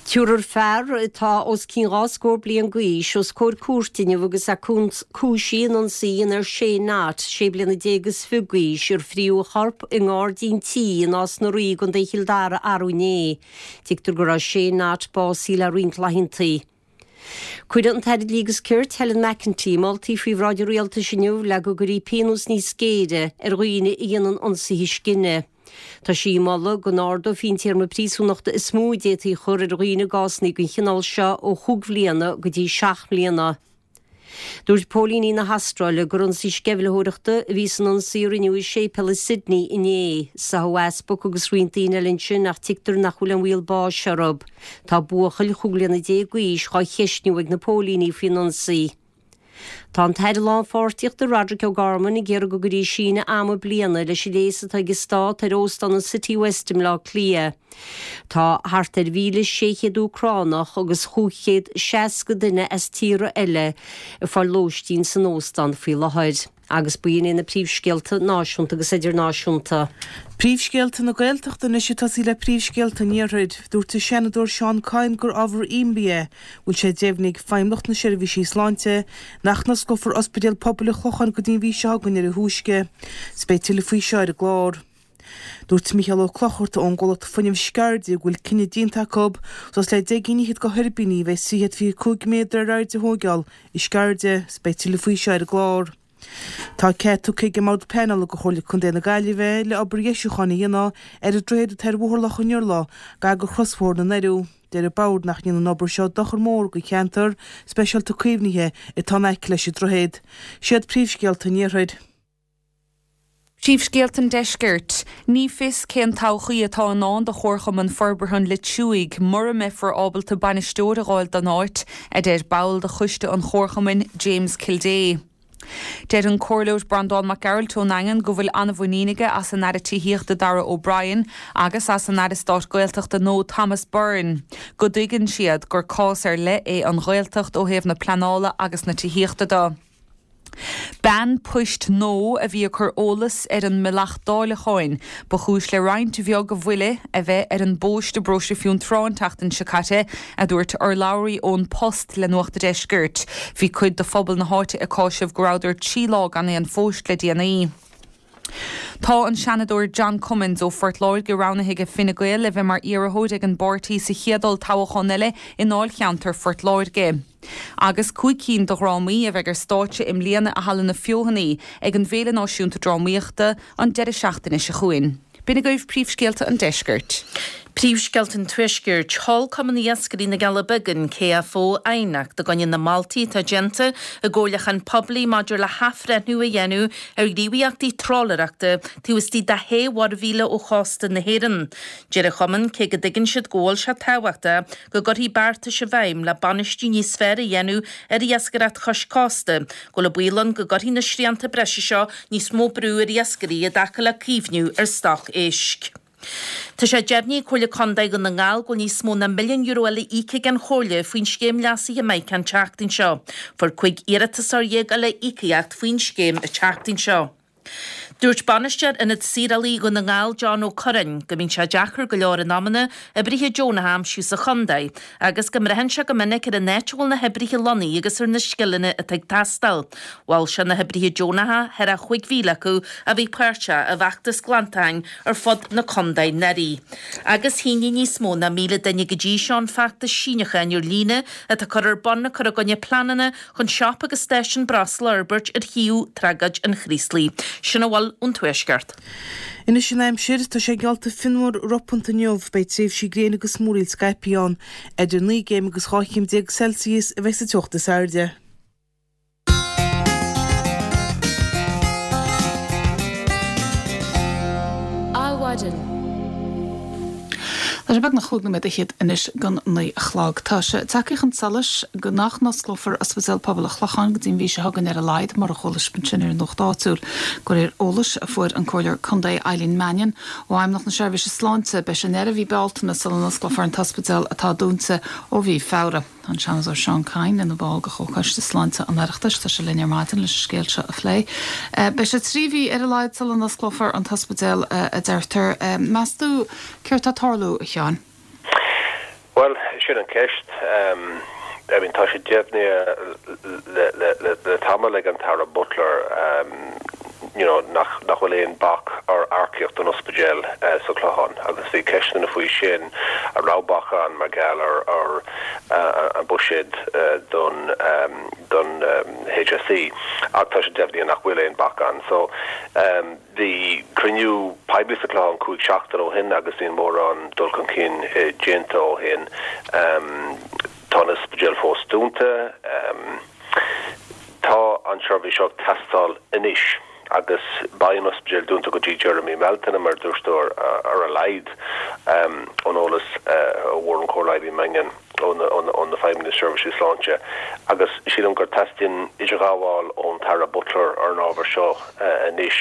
Tabharfar fear atá os cionn 2 scór bliain d'aois os comhair cúirte inniu agus é cúisithe in ionsaí a dhéanamh ar Shane Knott, 16 bliana is fiche d'aois, ar fríodh a chorp i ngairdín tí i Nás na Rí i gContae Chill Dara arú inné. Tuigtear go raibh Shane Knott básaithe le roinnt laethanta. Cuirfidh an tAire Dlí agus Cirt, Helen McEntee, moltaí faoi bhráid an Rialtais inniu le go gcuirfí pionós níos géire ar dhaoine a dhéanann ionsaithe scine. Tá sí ag moladh go n-ardófaí an téarma príosúnachta is mó a d'fhéadfaí a chur ar dhaoine i gcásanna den chineál seo ó chúig bhliana go dtí seacht mbliana. Dúirt póilíní na hAstráile gur ionsaí sceimhlitheoireachta a bhí san ionsaí a rinneadh i séipéal i Sydney inné. Sáthadh easpag agus roinnt daoine eile ansin ach tuigtear nach bhfuil aon bhaol báis orthu. Tá buachaill chúig bliana déag d'aois dhá cheistniú ag na póilíní faoin ionsaí. Tá an tAire Lánpháirtíochta Roderic O'Gorman ag iarraidh go gcuirfí síneadh ama bliana leis an léas atá ag an Stát ar Óstán an Citywest i mBleá Cliath. Tá thart ar 1,600 Úcránach agus 560 duine as tíortha eile ag fáil lóistín san óstán faoi láthair. Agus b'in iad na príomhscéalta náisiúnta agus idirnáisiúnta. Príomhscéalta na Gaeltachta anois ag tosaí le príomhscéalta an Iarthair. Dúirt an Seanadóir Seán Kyne gur ábhar imní é go bhfuil sé deimhnithe ag Feidhmeannacht na Seirbhísí Sláinte nach n-osclófar Ospidéal Pobail an Chlocháin go dtí an mhí seo chugainn ar a thúisce. 'S beidh tuilleadh faoi seo ar an gclár. Dúirt Mícheál Ó Clochartaigh ón gcomhlacht fuinnimh Sceirde go bhfuil cinneadh déanta acu suas le 10 gcinn fhichead de thuirbíní a bheidh 325 méadar ar airde a thóigeáil i Sceirde. 'S beidh tuilleadh faoi seo ar an gclár. Tá cead tugtha ag an mBord Pleanála do Chomhairle Contae na Gaillimhe le obair dheisiúcháin a dhéanamh ar an droichead atá ar Bhóthar Loch an Iarla gar do chrosbhóthar na nDoireadh. Deir an Bord nach ndéanann an obair seo dochar mór do cheantar speisialta caomhnaithe atá in aice leis an droichead. Siad príomhscéalta an Iarthair. Príomhscéalta an Deiscirt. Ní fios cén todhchaí atá i ndán do Chomharchumann Forbartha an Loit Súigh mura mbeifear ábalta bainisteoir a dh'fháil don áit, a deir ball de choiste an chomharchumainn, James Kildea. Deir an Comhairleoir Breandán Mac Gearailt ón nDaingean go bhfuil an-mhuinín aige as an Aire Tithíochta Darragh O'Brien agus as an Aire Stáit Gaeltachta nua Thomas Byrne go dtuigeann siad gur cás ar leith é an Ghaeltacht ó thaobh na pleanála agus na tithíochta de. Bean poist nua a bhí ag cur eolas ar an mbealach dáileacháin ba chúis le roinnt bheag mhoille a bheith ar an bpóist i bparóiste Fionntrá an tseachtain seo caite, a dúirt urlabhraí ón Post le Nuacht a' Deiscirt. Bhí cuid de phobal na háite ag cáiseamh go rabhadar 3 lá gan aon phóist le déanaí. Tá an Seanadóir John Cummins ó Phort Láirge roghnaithe ag Fine Gael le bheith mar iarrthóir ag an bpáirtí sa chéad olltoghchán eile i ndáilcheantar Phort Láirge. Agus 5 cinn de dhrámaí a bheidh ar stáitse i mbliana i Halla na Feothanaí ag an bhFéile Náisiúnta Drámaíochta an deireadh seachtaine seo chugainn. B'in agaibh príomhscéalta an deiscirt. Príomhscéalta an Tuaiscirt. Sheol Cumann Iascairí na gCealla Beaga, an KFO, aighneacht i gcoinne na moltaí atá déanta i gcomhairliúchán poiblí maidir le hathbhreithniú a dhéanamh ar ghníomhaíochtaí trálaeireachta taobh istigh de shé mhuirmhíle ó chósta na hÉireann. Deir an chumann, cé go dtuigeann siad go bhfuil sé tábhachtach go gcuirfí beartais i bhfeidhm le bainistiú níos fearr a dhéanamh ar iascaireacht chois cósta, go bhfuil baol ann go gcuirfidh na srianta breise seo níos mó brú ar iascairí i dtaca le caomhnú ar stoc éisc. Tá sé deimhnithe ag Comhairle Contae Dhún na nGall go bhfuil níos mó ná €1 milliún eile íoctha ag an Chomhairle faoin scéim leasaithe Mica an tseachtain seo. Fuair 15 iarratasóir eile íocaíocht faoin scéim an tseachtain seo. Dúirt Bainisteoir Ionad Saorálaí Dhún na nGall John Ó Curráin go mbíonn sé deacair go leor in amanna oibrithe deonacha a aimsiú sa chontae agus go mbraitheann sé go minic ar an áit a bhfuil na hoibrithe lonnaithe agus ar na scileanna atá ag teastáil. Mhol sé na hoibrithe deonacha, thar a 5,000 acu, a bhí páirteach i bhfeachtas glantacháin ar fud na contae anuraidh. Agus shínigh níos mó ná 1,000 duine go dtí seo an feachtas síniúcháin ar líne atá curtha ar bun ag cur i gcoinne pleananna chun siopa agus stáisiún breosla a fhorbairt ar shuíomh Tragóid an Chraoslaigh. Sin a bhfuil ón Tuaisceart. Anois an aimsir, tá sé geallta fionnuar ropanta inniu, beidh tréimhsí gréine agus múraíl scaipthe ann. Idir 9 gcéim agus 12 chéim Celsius a bheidh sa teocht is airde. Adhmhaidin. Tá sé beagnach chúig nóiméad fhichead anois don naoi a chlog. Tá sé tagtha chun solais go nach n-osclófar Ospidéal Pobail an Chlocháin go dtí an mhí seo chugainn ar a laghad, mar a chuala sibh ansin ar an nuacht áitiúil. De réir eolais a fuair an Comhairleoir Contae Eileen Mannion ó Fheidhmeannacht na Seirbhíse Sláinte, beidh sé i ndeireadh mhí Bealtaine sula n-osclófar an t-ospidéal atá dúnta ó mhí Feabhra. Tá an Seanadóir Seán Kyne ina bhall de Chomhchoiste Sláinte an Oireachtais. Tá sé linn ar maidin leis an scéal seo a phlé. Beidh sé 3 mhí ar a laghad sula n-osclófar an t-ospidéal, a deirtear. Meas tú céard tá ag tarlú, a Sheáin? Bhuel, sin an ceist. I mean, tá sé deimhnithe le tamall ag an tAire Butler you know, nach nach bhfuil aon bac ar earcaíocht don ospidéal sa Chlochán agus bhí ceisteanna faoi sin, an raibh bac ann mar gheall ar ar an buiséad don don HSE ach tá sé deimhnithe nach bhfuil aon bac ann. So bhí cruinniú poiblí sa Chlochán 5 seachtain ó shin agus níl mórán dul chun cinn déanta ó shin. Tá an ospidéal fós dúnta. Tá an tseirbhís seo ag teastáil anois agus beidh an ospidéal dúnta go dtí deireadh mí Bealtaine, mar a dúirt tú, ar a laghad, ón eolas a fuair an Comhairleoir Eileen Mannion ó na Feidhmeannaigh Seirbhísí Sláinte. Agus sílim gur teastaíonn idirghabháil ón tAire Butler ar an ábhar seo anois.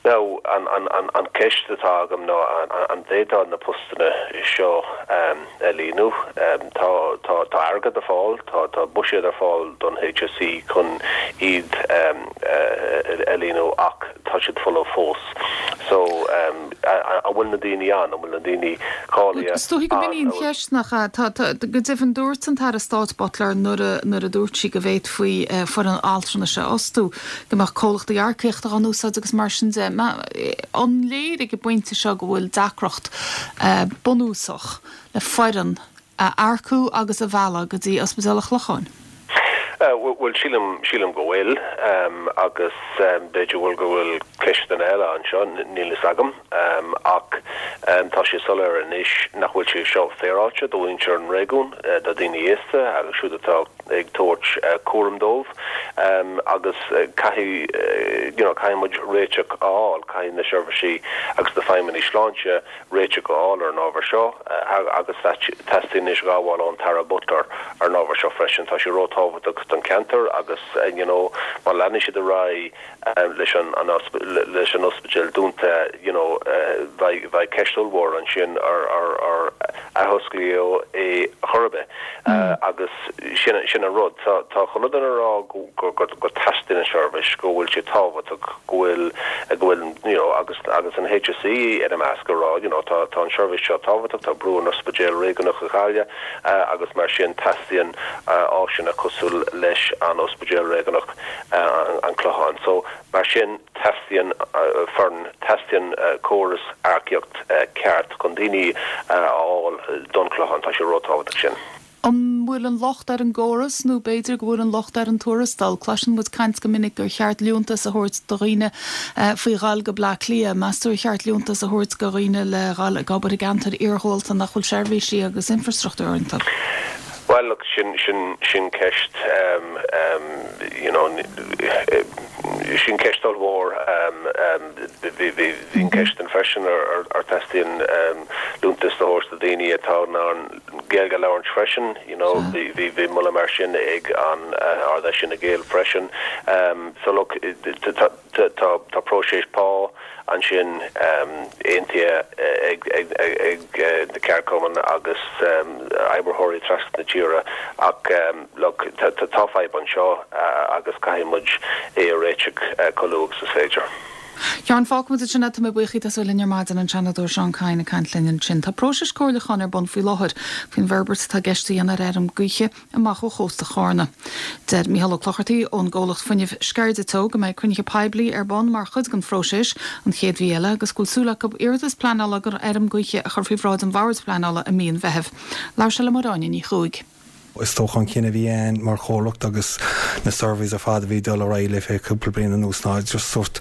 Now, an ceist atá agam ná an bhféadfá na postanna seo a líonadh? Tá tá airgead ar fáil, tá tá buiséad ar fáil don HSE chun iad a líonadh ach tá siad folamh fós. So, an bhfuil na daoine ann? An bhfuil na daoine cáilithe Is dóigh go b'in í an cheist, nach ea? Tá, tá, go deimhin dúirt an tAire Stáit Butler nuair a, nuair a dúirt sí go bhféadfaí foireann altranais a fhostú, go mbeadh comhlachtaí earcaíochta á n-úsáid agus mar sin de. An léir ag an bpointe seo go bhfuil deacracht bunúsach le foireann a earcú agus a mhealladh go dtí Ospidéal an Chlocháin? Bhuel, sílim, sílim go bhfuil agus b'fhéidir bhfuil go bhfuil ceisteanna eile anseo, níl fhios agam ach tá sé soiléir anois nach bhfuil sé seo féaráilte do mhuintir an réigiúin, do dhaoine aosta agus siúd atá ag tabhairt cúram dóibh agus caithfidh you know caithfidh muid réiteach a fháil, caithfidh na seirbhísí agus na feidhmeannaigh sláinte réiteach a fháil ar an ábhar seo agus teastaíonn idirghabháil ón tAire Butler ar an ábhar seo freisin. Tá sé róthábhachtach don cheantar agus you know má leanann siad ar aghaidh leis an leis an ospidéal dúnta you know beidh beidh ceist ollmhór ansin ar ar ar athosclaíodh é chor ar bith agus sin sin an rud. Tá tá chuile dhuine ag rá go go go go teastaíonn an seirbhís, go bhfuil sé tábhachtach, go bhfuil go bhfuil you know agus agus an HSE ina measc ag rá you know tá tá an seirbhís seo tábhachtach, tá brú ar an ospidéal réigiúnach i nGaillimh agus mar sin teastaíonn áiseanna cosúil leis an ospidéal réigiúnach. an Clochán. So, mar sin, teastaíonn foireann, teastaíonn córas earcaíocht ceart chun daoine a fháil don Chlochán. Tá sé róthábhachtach sin. An bhfuil an locht ar an gcóras nó b'fhéidir go bhfuil an locht ar an tuarastal? Cloiseann muid caint go minic gur cheart liúntas a thabhairt do dhaoine faoi dhul go Bleá Cliath. Meas tú ar cheart liúntas a thabhairt do dhaoine le dhul ag obair i gceantair iarghúlta nach bhfuil seirbhísí agus infreastruchtúr iontu? Bhuel, look, sin, sin, sin ceist, you know, sin ceist ollmhór. Bhí, bhí, bhí an ceist ann freisin ar, ar, ar teastaíonn liúntas a thabhairt do daoine atá in ann Gaeilge a labhairt freisin, you know, bhí, bhí, bhí moladh mar sin ag an Ard-Fheis Fhine Gael freisin. So look, tá. Tá próiseas pá ansin aontaithe ag na ceardchumainn agus oibritheoirí trasna na tíre ach look, tá fadhb anseo agus caithfidh muid é a réiteach chomh luath agus is féidir. Sheáin, fágfaimid ansin é, tá mé buíoch díot as a bheith linn ar maidin, an Seanadóir Seán Kyne ag caint linn ansin. Tá próiseas comhairliúcháin ar bun faoi láthair faoin bhforbairt atá i gceist a dhéanamh ar fheirm gaoithe amach ó chósta Chárna. Deir Micheál Ó Clochartaigh ón gcomhlacht fuinnimh Sceirde Teo go mbeidh cruinnithe poiblí ar bun mar chuid den phróiseas an chéad mhí eile agus go bhfuil súil acu iarratas pleanála don fheirm gaoithe a chur faoi bhráid an Bhoird Phleanála i mí an Mheithimh. Labhair sé le Máire Áine Ní Chuaig. Is dócha an cinneadh a bhí ann mar chomhlacht agus na surveys ar fad a bhí ag dul ar aghaidh le feadh cúpla bliain anuas ná just sórt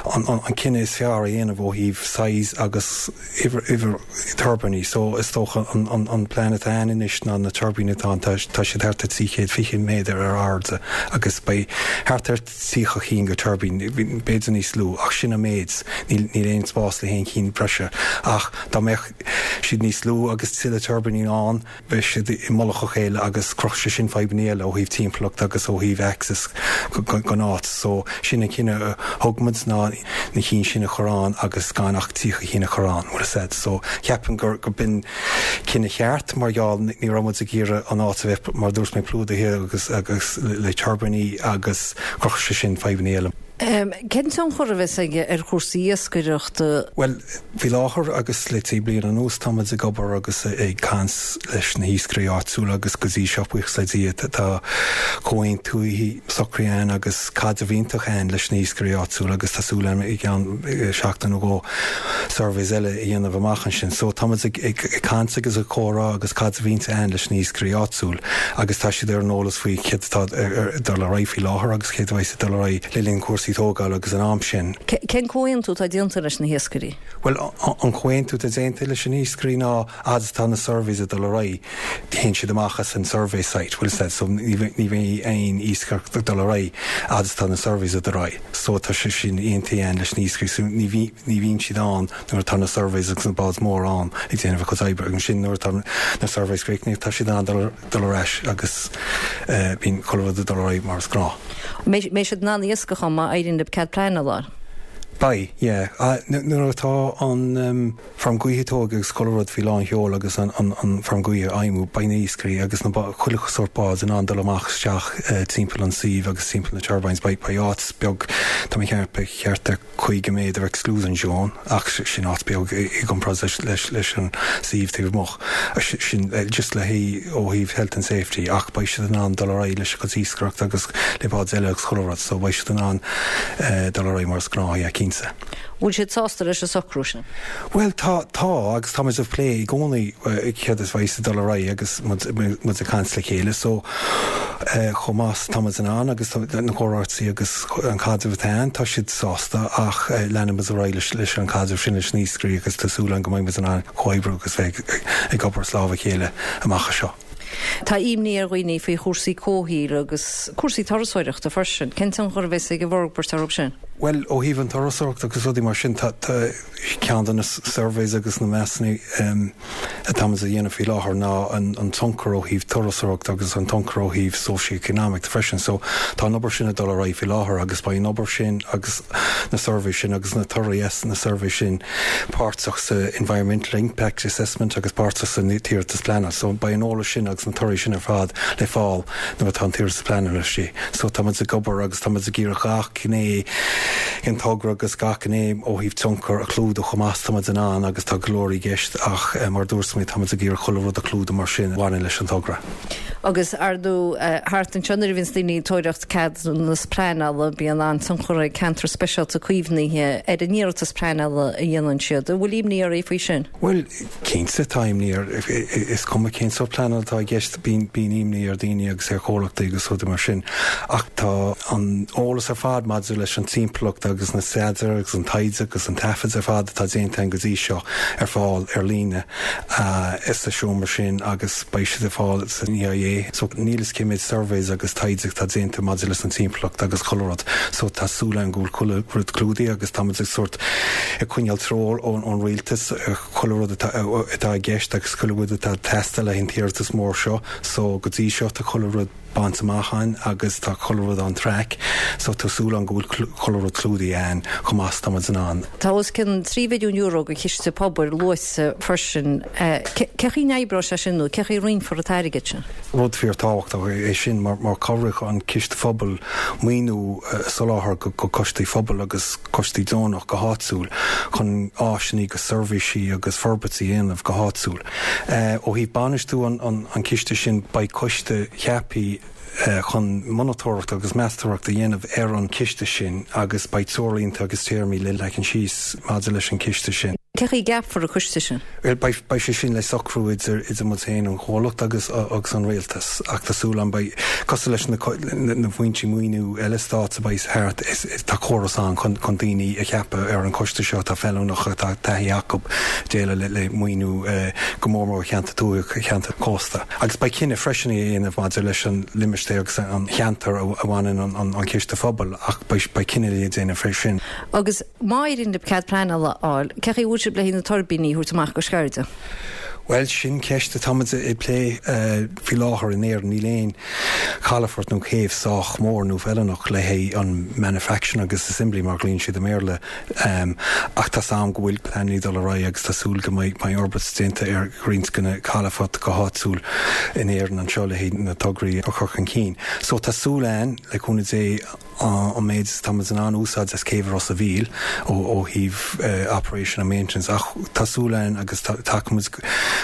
an cinneadh is fearr a dhéanamh ó thaobh size agus uimhir tuirbíní. So is dócha an plean atá ann anois ná na tuirbíní atá ann, tá siad thart ar 320 méadar ar airde agus beidh thart ar 30 cinn de tuirbín, b'fhéidir níos lú ach sin an méid, níl aon spás le haon chinn breise ach dá mbeadh siad níos lú agus tuilleadh tuirbíní ann, bheadh siad i mullach a chéile agus chruthódh sé sin fadhbanna eile ó thaobh timpeallacht agus ó thaobh access gon áit. So sin an cinneadh a thug muid ná na cinn sin a chur ann agus gan ach 30 cinn a chur ann, bhfuil a fhios a'd. So ceapaim gur gur b'in cinneadh cheart mar gheall ní raibh muid ag iarraidh an áit a bheith mar a dúirt mé plódaithe agus agus le tuirbíní agus chruthódh sé sin fadhbanna eile. Cén tionchar a bheas aige ar chúrsaí iascaireachta? Bhuel, faoi láthair agus le trí bliana anuas tá muid ag obair agus ag caint leis na hiascairí áitiúla agus go dtí seo, buíochas le Dia, tá comhaontuithe socraithe ann agus caidreamh iontach ann leis na hiascairí áitiúla agus tá súil agam i gceann seachtain nó dhó surveys eile a dhéanamh amach ansin. So tá muid ag caint agus ag comhrá agus caidreamh iontach ann leis na hiascairí áitiúil agus tá siad ar an eolas faoi céard atá ag dul ar aghaidh faoi láthair agus céard a bheas ag dul ar aghaidh le linn cúrsaí tógála agus an am sin. Cén comhaontú atá déanta leis na hiascairí? Bhuel, an comhaontú atá déanta leis na hiascairí ná fhad is atá na surveys ag dul ar aghaidh, téann siad amach as an survey site, bhfuil 'fhios a'd, so ní bheidh aon iascaireacht ag dul ar aghaidh fhad is atá na surveys ag dul ar aghaidh. So tá sé sin aontaithe againn leis na hiascairí so ní ní bhíonn siad ann nuair atá na surveys agus na báid móra ann ag déanamh a gcuid oibre agus ansin nuair atá na surveys críochnaithe tá siad in ann dul dul ar ais agus bíonn chuile rud ag dul ar aghaidh mar is gnáth. Mbeidh siad in ann iascach ann má éiríonn libh cead pleanála a fháil? Beidh, yeah. Nuair atá an feirm gaoithe tógtha agus chuile rud faoi lán sheol agus an feirm gaoithe ag feidhmiú, beidh na hiascairí agus na chuile sórt báid in ann dul amach isteach timpeall an suímh agus timpeall na turbines. Beidh áit beag, tá mé ag ceapadh, thart ar 50 méadar exclusion zone ach sin áit beag i gcomparáid leis an suíomh taobh amuigh. Sin just le haghaidh ó thaobh health and safety ach beidh siad in ann dul ar aghaidh leis a gcuid iascaireachta agus le báid eile agus chuile rud so beidh siad in ann dul ar aghaidh mar is gnáth, yeah, cinnte. Bhfuil siad sásta leis an socrú sin? Bhuel tá, tá agus tá muid ag plé i gcónaí céard is bheas ag dul ar aghaidh agus muid ag caint le chéile so chomh maith is atá muid in ann agus na comhráití agus an caidreamh atá ann, tá siad sásta ach leanfaidh muid ar aghaidh leis an caidreamh sin leis na hiascairí agus tá súil agam go mbeidh muid in ann comhoibriú agus bheith ag obair as lámh a chéile amach anseo. Tá imní ar dhaoine faoi chúrsaí comhshaoil agus cúrsaí turasóireachta freisin. Cén tionchar a bheas ag an bhforbairt orthu sin? Bhuel, ó thaobh an turasóireacht agus rudaí mar sin, tá ceann de na surveys agus na measanna atá muid a dhéanamh faoi láthair ná an tionchar ó thaobh turasóireachta agus an tionchar ó thaobh socio-economic freisin. So tá an obair sin ag dul ar aghaidh faoi láthair agus beidh an obair sin agus na surveys sin agus na torthaí as na surveys sin páirteach sa Environmental Impact Assessment agus páirteach san iarratas pleanála. So beidh an eolas sin agus na torthaí sin ar fad le fáil nuair atá an t-iarratas pleanála istigh. So tá muid ag obair agus tá muid ag iarraidh gach gné den togra agus gach gné ó thaobh tionchar a chlúdach chomh maith is tá muid in ann agus tá go leor i gceist ach mar a dúirt mé tá muid ag iarraidh chuile rud a chlúdach mar sin a bhaineann leis an togra. Agus ar ndóigh thart anseo nuair a bhíonns daoine ag tóraíocht ceadúnas pleanála bíonn an-tionchar ag ceantar speisialta caomhnaithe ar an iarratas pleanála a dhéanann siad. An bhfuil imní oraibh faoi sin? Bhuel, cinnte tá imní ar, is cuma cén sórt pleanála atá i gceist, bíonn imní ar dhaoine agus ar chomhlachtaí agus rudaí mar sin. Ach tá an eolas ar fad maidir leis an timpeallacht agus na staidéir agus an taighde agus an taifid ar fad atá déanta againn go dtí seo ar fáil ar líne sa seomra sin agus beidh siad ar fáil san EIA. So níl fhios cé méid surveys agus taighde atá déanta maidir leis an timpeallacht agus chuile rud. So tá súil agam go bhfuil chuile rud clúdaithe agus tá muid ag sórt ag coinneáil treoir ón rialtas ar chuile rud atá atá i gceist agus chuile rud atá ag teastáil le haghaidh an t-iarratas mór seo. So go dtí seo tá chuile rud. bainte amach againn agus tá chuile rud on track so tá súil agam go bhfuil chuile rud clúdaithe againn chomh maith is tá muid in ann. Tá os cionn €3 mhilliún go chiste pobail luaite freisin. Cé chaoi a n-oibreoidh sé sin nó cé chaoi a roinnfear an t-airgead sin? Rud fíor-tábhachtach é sin mar cabhróidh an Ciste Phobail maoiniú a soláthar go coistí phobail agus coistí deonach go háitiúil chun áiseanna agus seirbhísí agus forbairt a dhéanamh go háitiúil. Ó thaobh bainistiú an chiste sin beidh coiste ceaptha chun monatóireacht agus meastóireacht a dhéanamh ar an chiste sin agus beidh treoirlínte agus téarmaí le leagan síos maidir leis an chiste sin. Cé chaoi a gceapfar an coiste sin? Bhuel, beidh sé sin le socrú idir muid féin, an chomhlacht agus agus an rialtas ach tá súil agam beidh, cosúil leis na na foinsí maoiniú eile stáit a bheidh thart, tá córas ann chun chun daoine a cheapadh ar an choiste seo atá feiliúnach, atá taithí acu déileáil le le maoiniú go mór mór cheantar tuaithe, cheantar cósta. Agus beidh cinneadh freisin a dhéanamh maidir leis an limistéar agus an cheantar a bhaineann an Ciste Phobail ach beidh cinneadh le déanamh faoi sin. Agus má éiríonn libh cead pleanála a fháil, cé chaoi a bhfuil sibh le haghaidh na tuirbíní a thabhairt amach go Sceirde? Bhuel, sin ceist atá muid ag plé faoi láthair in Éirinn. Níl aon chalafort nó céibh sách mór nó feiliúnach le haghaidh an manufacturing agus assembly mar a ghlaonn siad i mBéarla. Ach tá 's a'm go bhfuil pleananna ag dul ar aghaidh agus tá súil go mbeidh forbairt déanta ar roinnt de na calafoirt go háitiúil in Éirinn anseo le haghaidh na tograí a chur chun cinn. So tá súil a'inn, le cúnamh Dé, an méid is atá muid in ann úsáid as céibh Ros a' Mhíl ó thaobh operation and maintenance ach tá súil a'inn agus tacaímid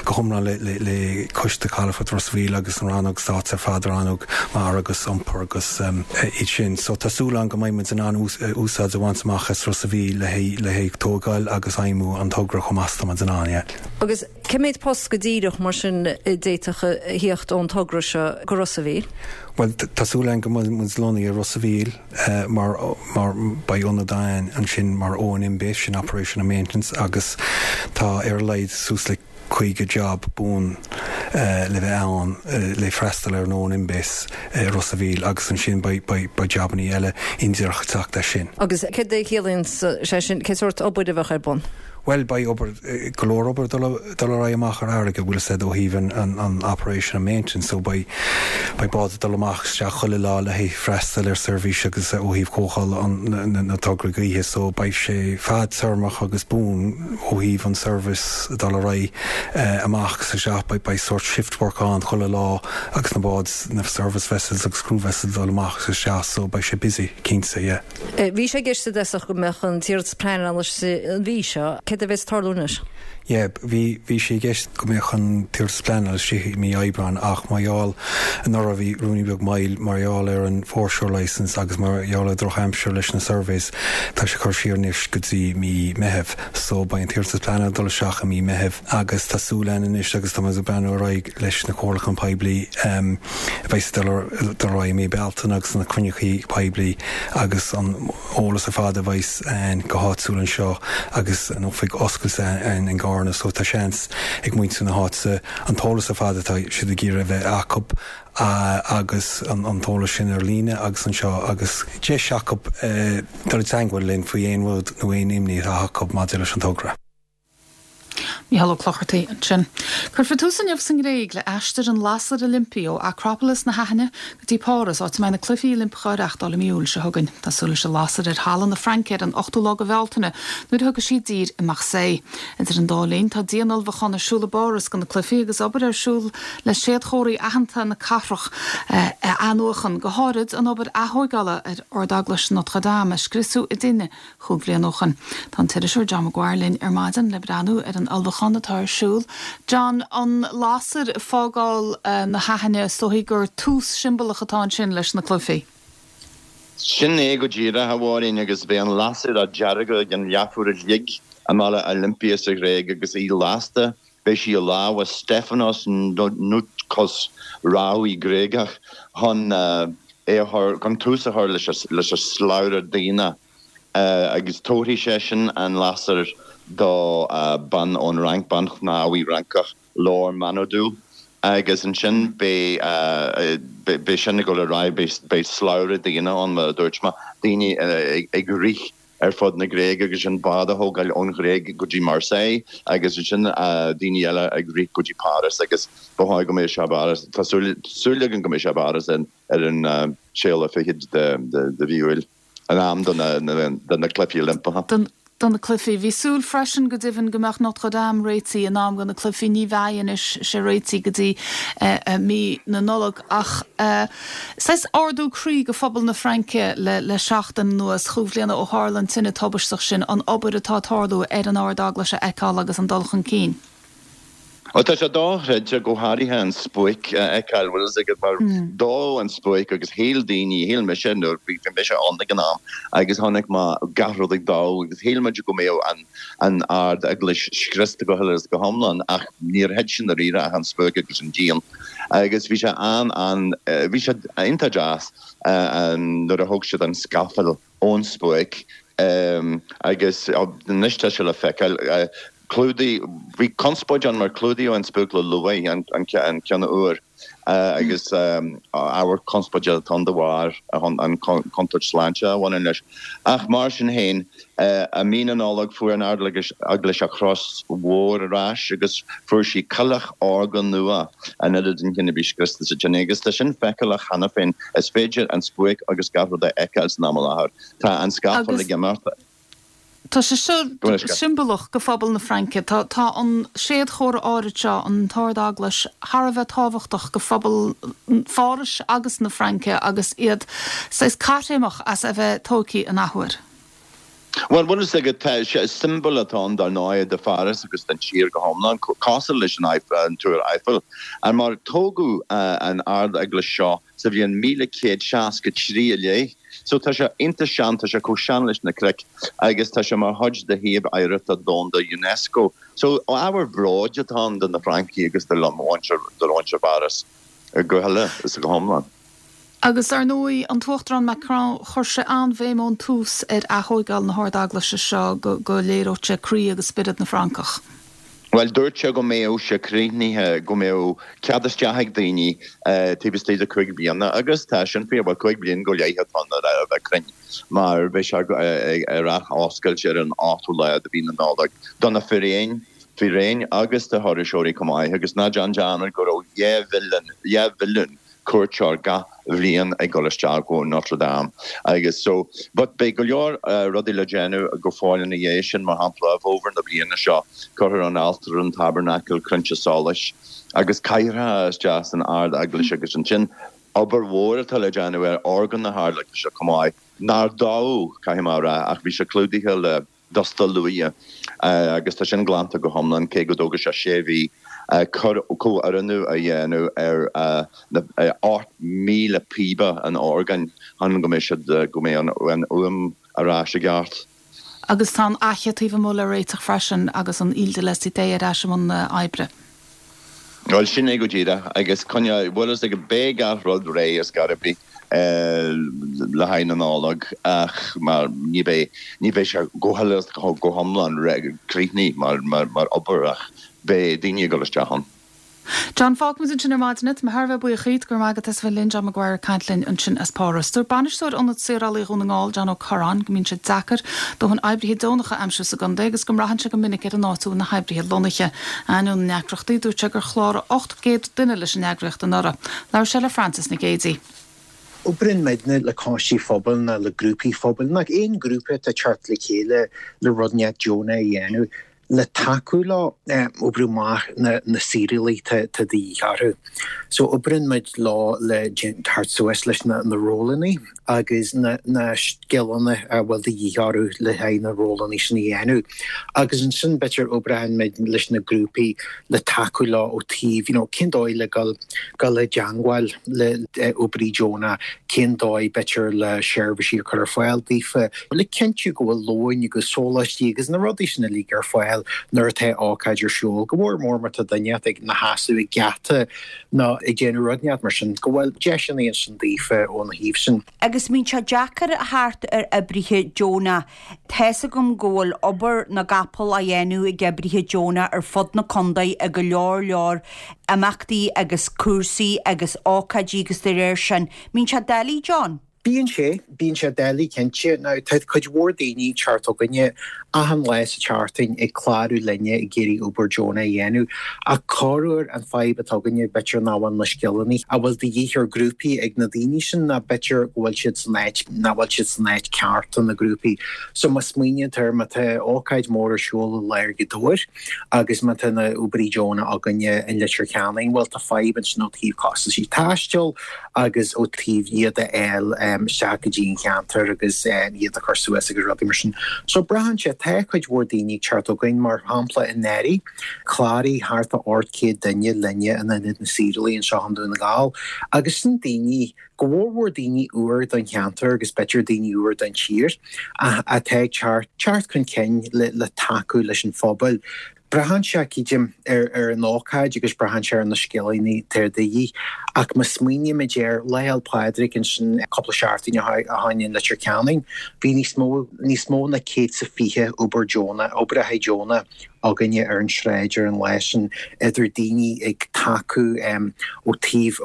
go hiomlán le Coiste Calafoirt Ros a' Mhíl agus an rannóg stáit ar fad, rannóg mara agus iompair agus iad sin. So tá súil a'inn go mbeidh muid in ann úsáid a bhaint amach as Ros a' Mhíl le haghaidh tógáil agus fheidhmiú an togra chomh maith is atá muid in ann, yeah. Agus cé mhéad post go díreach mar sin a d'fhéadfadh a thíocht ón togra seo go Ros a' Mhíl? Bhuel, tá súil againn go mbeidh muid lonnaithe i Ros a' Mhíl mar mar beidh ionad againn ansin mar O&M base, sin Operation and Maintenance, agus tá ar a laghad suas le 50 job buan le bheith ann le freastal ar an O&M base i Ros a' Mhíl agus ansin beidh beidh jabannaí eile indíreach ag teacht as sin. Agus céard a chiallaíonn sé sin, cén sórt obair a bheadh ar bun? Bhuel, beidh obair, go leor obair ag dul ar aghaidh amach ar fharraige, bhfuil fhios a'd, ó thaobh an operation and maintenance, so beidh, beidh bád ag dul amach isteach chuile lá le haghaidh freastal ar seirbhís agus ó thaobh cóicheáil an, na tograí gaoithe, so beidh sé fadtéarmach agus buan ó thaobh an service ag dul ar aghaidh amach is isteach, beidh, beidh sórt shift work ann chuile lá agus na báid, na service vessels agus crew vessels ag dul amach is isteach, so beidh sé busy, cinnte, yeah. Bhí sé i gceist i dtosach go mbeadh an t-iarratas pleanála istigh an mhí seo. Céard a bheas ag tarlú anois? Yeah, bhí, bhí sé i gceist go mbeadh an t-iarratas pleanála istigh i mí Aibreáin ach mar gheall, anuraidh bhí ruainnín beag moill mar gheall ar an foreshore licence agus mar gheall ar drochaimsir leis na surveys, tá sé curtha siar anois go dtí mí Meitheamh. So beidh an t-iarratas pleanála ag dul isteach i mí Meitheamh agus tá súil againn anois agus tá muid ag breathnú ar aghaidh leis na comhairliúcháin poiblí, a bheidh ag dul ar aghaidh i mí Bealtaine agus na cruinnithe poiblí agus an eolas ar fad a bheidh ann go háitiúil anseo agus an oifig oscailte ann in gCarna so tá seans ag muintir na háite an t-eolas ar fad atá siad ag iarraidh a bheith acu agus an t-eolas sin ar líne agus anseo agus deis acu dul i dteangmháil linn faoi aon rud nó aon imní atá acu maidir leis an togra. Mícheál Ó Clochartaigh ansin. Cuirfear tús inniu sa nGréig le aistear an Lasair Oilimpigh ó Acropolis na hAithine go dtí Páras, áit a mbeidh na Cluichí Oilimpeacha á reáchtáil i mí Iúil seo chugainn. Tá súil leis an lasair ar thalamh na Fraince ar an ochtú lá de Bhealtaine, nuair a thiocfaidh sí i dtír i Marseille. Idir an dá linn, tá dian-ullmhúchán ar siúl i bPáras do na cluichí agus obair ar siúl le séadchomharthaí aitheanta na cathrach a athnuachan, go háirid an obair athóigeála ar Ardeaglais Notre Dame a scriosadh i dtine chúig bhliain ó shoin. Tá an t-iriseoir John Maguire linn ar maidin le breathnú ar an ullmhúchán atá ar siúl. John, an lasair ag fágáil na hAithine, is dóichí gur tús siombalach atá ansin leis na cluichí. Sin é go díreach, a Mháirín, agus beidh an lasair á deargadh ag an leathuair a chloig i mbaile Olympia sa Ghréig agus í lasta. Beidh sí i lámha Stefanos Noutkos, rámhaí Gréagach, chun é a chur, chun tús a chur leis an slabhra daonna agus tabharfaidh seisean an lasair do bean ón Fhrainc, bean shnámhaí Fhrancach, Laure Manaudou, agus ansin beidh, beidh sin ag dul ar aghaidh, beidh slabhra daonna ann, mar a dúirt mé, daoine ag rith. ar fud na Gréige agus ansin bád a thógáil ón Ghréig go dtí Marseille agus ansin daoine eile ag rith go dtí Páras agus ba chóir go mbeadh sé i bPáras, tá súil againn go mbeidh sé i bPáras ar an séú lá fichead de mhí Iúil. In am do na Cluichí Oilimpeacha. Do na Cluichí. Bhí súil freisin, go deimhin, go mbeadh Notre Dame réitithe in am do na Cluichí. Ní bheidh anois sé réitithe go dtí mí na Nollag. Ach saghas ardú croí do phobal na Fraince le seachtain anuas, chúig bhliana ó tharla an tine tubaisteach sin, an obair atá ag tarlú ar an Ard-Eaglais a fheiceáil agus an dul chun cinn. Ó tá sé dochreidte, go háirithe an spuaic a fheiceáil, bhfuil fhios agat, mar dódh an spuaic agus shíl daoine, shíl mise nuair bhí mise ann ag an am agus chonaic mé gach rud ag dó agus shíl muid go mbeadh an an Ard-Eaglais scriosta go huile is go hiomlán ach níor thit i ndáiríre ach an spuaic agus an díon agus bhí sé an an bhí sé iontach deas nuair a thóg siad an scafall ón spuaic agus anois tá sé le feiceáil. Clúdaigh, bhí conspóid ann mar clúdaíodh an spuaic le luaith, an ceann úr, agus ábhar conspóide atá ann de bharr an chontúirt sláinte a bhaineann leis. Ach mar sin féin, i mí na Nollag fuair an Ard-Eaglais a chros mhór ar ais agus fuair sí coileach órga nua in ionad an chinn a bhí scriosta sa tine. Agus tá sin feiceálach cheana féin, is féidir an spuaic agus gach rud a fheiceáil san am i láthair. Tá an scafall ag imeacht. Tá sé seo siombalach do phobal na Fraince. Tá tá an séadchomhartha áirid seo, an tArd-Eaglais, thar a bheith tábhachtach do phobal Phárais agus na Fraince agus iad saghas caithréimeach as a bheith tógtha an athuair. Bhuel, bhfuil fhios agat, tá sé, siombail atá ann dar ndóigh do Pháras agus don tír go hiomlán, cosúil leis an an Túr Eiffel. Mar tógadh an Ard-Eaglais seo sa bhliain 1163 i leith. So tá sé iontach sean, tá sé chomh sean leis na cnoic agus tá sé mar chuid de shuíomh oidhreachta domhanda Unesco. So ábhar bróid atá ann do na Francaigh agus do mhuintir Pháras go huile is go hiomlán. Agus ar ndóigh, an tUachtarán Macron, chuir sé an-bhéim ón tús ar aththóigeáil na hArd-Eaglaise seo go léireodh sé croí agus spiorad na Francach. Bhuel, dúirt sé go mbeadh sé críochnaithe, go mbeadh cead isteach ag daoine taobh istigh de chúig bliana agus tá sin fíor, bhuel, chúig bliana go leith atá ann le bheith cruinn, mar beidh sé ar athoscailt ar an 8ú lá de mhí na Nollag do na fíréin, fíréin agus do thurasóirí chomh maith agus ná déan dearmad go raibh 2 mhilliún cuairteoir gach bhliain ag dul isteach go Notre Dame agus so but beidh go leor rudaí le déanamh go fóill ina dhiaidh sin, mar shampla i bhfómhar na bliana seo cuirfear an altar, an taibearnacal, crainnte solais agus cathaoireacha isteach san Ard-Eaglais agus ansin obair mhór atá le déanamh ar orgán na hArd-Eaglaise chomh maith, nár dódh, caithfidh mé a rá, ach bhí sé clúdaithe le dusta luaidhe agus tá sin glanta go hiomlán, cé go dtógfaidh sé sé mhí comhoiriúnú a dhéanamh ar na 8,000 píoba an orgáin chun go mbeidh siad, go mbeidh an fhuaim ar ais i gceart. Agus tá an fhaiche taobh amuigh le réiteach freisin agus an Île de la Cité ar ais i mbun oibre. Bhuel, sin é go díreach. Agus coinneoidh, bhfuil fhios agat, beidh gach rud réidh ar scor ar bith le haghaidh na Nollag ach mar ní bheidh, ní bheidh sé go huile is go hiomlán críochnaithe mar, mar, mar obair ach beidh daoine ag dul isteach ann. John, fágfaimid ansin ar maidin é. Tá mé thar a bheith buíoch dhíot. Go raibh maith agat as a bheith linn. John Maguire ag caint linn ansin as Páras. Dúirt bainisteoir Ionad Saorálaí Dhún na nGall, John Ó Corráin, go mbíonn sé deacair dóthain oibrithe deonacha a aimsiú sa gcontae agus go mbraitheann sé go minic ar an áit a bhfuil na hoibrithe lonnaithe. Ainneoin na ndeacrachtaí, dúirt sé gur chláraigh 800 duine leis an eagraíocht anuraidh. Labhair sé le Frances Nic Géadaigh. Oibríonn muidne le coistí phobail nó le grúpaí phobail, nó aon ghrúpa atá ag teacht le chéile le rud inteacht deonach a dhéanamh. le tacú leo oibriú amach na saorálaí atá de dhíth orthu. So oibríonn muid leo le teacht suas leis na rólanna agus na scileanna a bhfuil de dhíth orthu le haghaidh na rólanna sin a dhéanamh. Agus ansin b'fhéidir oibreoidh muid leis na grúpaí le tacú leo ó taobh you know cén dóigh le dul dul i dteangmháil le oibrí deonach, cén dóigh b'fhéidir le seirbhísí a chur ar fáil daofa, le cinntiú go bhfuil lóin agus sóláistí agus na rudaí sin uilig ar fáil nuair atá ócáid ar siúl, go mór mór má tá duine ag ina sheasamh ag geata nó ag déanamh rud inteacht mar sin, go bhfuil deiseanna ansin daofa óna thaobh sin. Agus mbíonn sé deacair a theacht ar oibrithe deonach. Tá's agam go bhfuil obair na gcapall á dhéanamh ag oibrithe deonach ar fud na contae i go leor leor imeachtaí agus cúrsaí agus ócáidí agus de réir sin. Mbíonn sé doiligh, John? Bíonn sé, bíonn sé doiligh cinnte. Now tá cuid mhór daoine ag teacht chugainne achan lá sa tseachtain ag clárú linne ag iarraidh obair deonach a dhéanamh ach corruair an fadhb atá againne b'fhéidir nach bhfuil na scileanna a bhfuil de dhíth ar grúpaí ag na daoine sin nó b'fhéidir go bhfuil siad san áit nach bhfuil siad san áit ceart do na grúpaí. So má smaoiníonn tú air má tá ócáid mór ar siúl i lár Ghaoth Dobhair agus má tá na oibrithe deonacha againne in Leitir Ceanainn bhuel tá fadhb ansin ó taobh costaisí taistil agus ó taobh iad a fháil isteach go dtí an cheantar agus iad a chur suas agus rudaí mar sin. So braitheann sé, tá cuid mhór daoine ag teacht chugainn, mar shampla anuraidh, chláraigh thart ar 800 duine linne in Ionad na Saorálaí anseo i nDún na nGall agus sin daoine, go mhórmhór daoine úr don cheantar agus b'fhéidir daoine úr don tír atá ag teacht, teacht chun cinn le tacú leis an phobal. Braitheann sé, creidim, ar an ócáid agus braitheann sé ar na scileanna atá de dhíth. Ach má smaoinímid ar Lá Fhéil Pádraig ansin cúpla seachtain ó shin in Leitir Ceanainn, bhí níos mó, níos mó ná 120 obair deonach, oibrithe deonacha againne ar an sráid ar an lá sin, idir daoine ag tacú ó taobh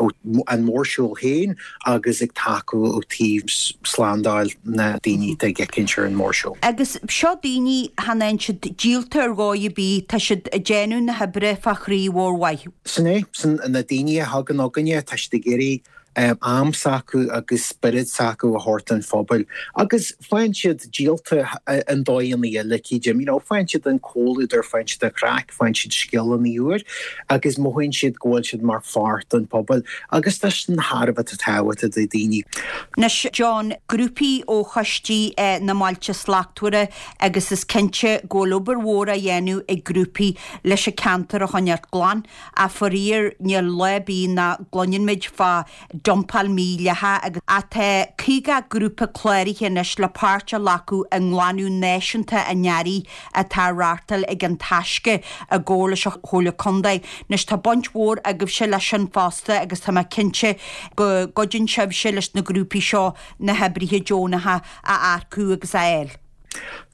an mhórshiúil féin agus ag tacú ó taobh slándáil na daoine atá ag éicint ar an mórshiúl. Agus seo daoine, chan fhaigheann siad díolta ar dhóigh ar bith, tá siad ag déanamh na hoibre fá chroí mhór mhaith. Sin é, sin na daoine a thagann chugainne, tá siad ag iarraidh am s'acu agus spiorad s'acu a thabhairt don phobal agus faigheann siad díolta i ndóigheanna eile, creidim, you know, faigheann siad an comhluadar, faigheann siad an chraic, faigheann siad scileanna úr agus mothaíonn siad go bhfuil siad mar pháirt den phobal agus tá sin thar a bheith tábhachtach do daoine. Anois, John, grúpaí ó choistí na mBailte Slachtmhara agus is cinnte go bhfuil obair mhór á dhéanamh ag grúpaí leis an ceantar a choinneáilt glan ach faraor níl lá ar bith nach gcluineann muid fá dumpáil mhídhleathach agus tá 50 grúpa cláraithe anois le páirt a ghlacadh i nglanadh náisiúnta an earraigh atá á reáchtáil ag An Taisce i gcomhar leis an Chomhairle Contae. Anois tá baint mhór agaibhse leis sin fosta agus tá mé cinnte go gcuidíonn sibhse leis na grúpaí seo na hoibrithe deonacha a earcú agus a fháil.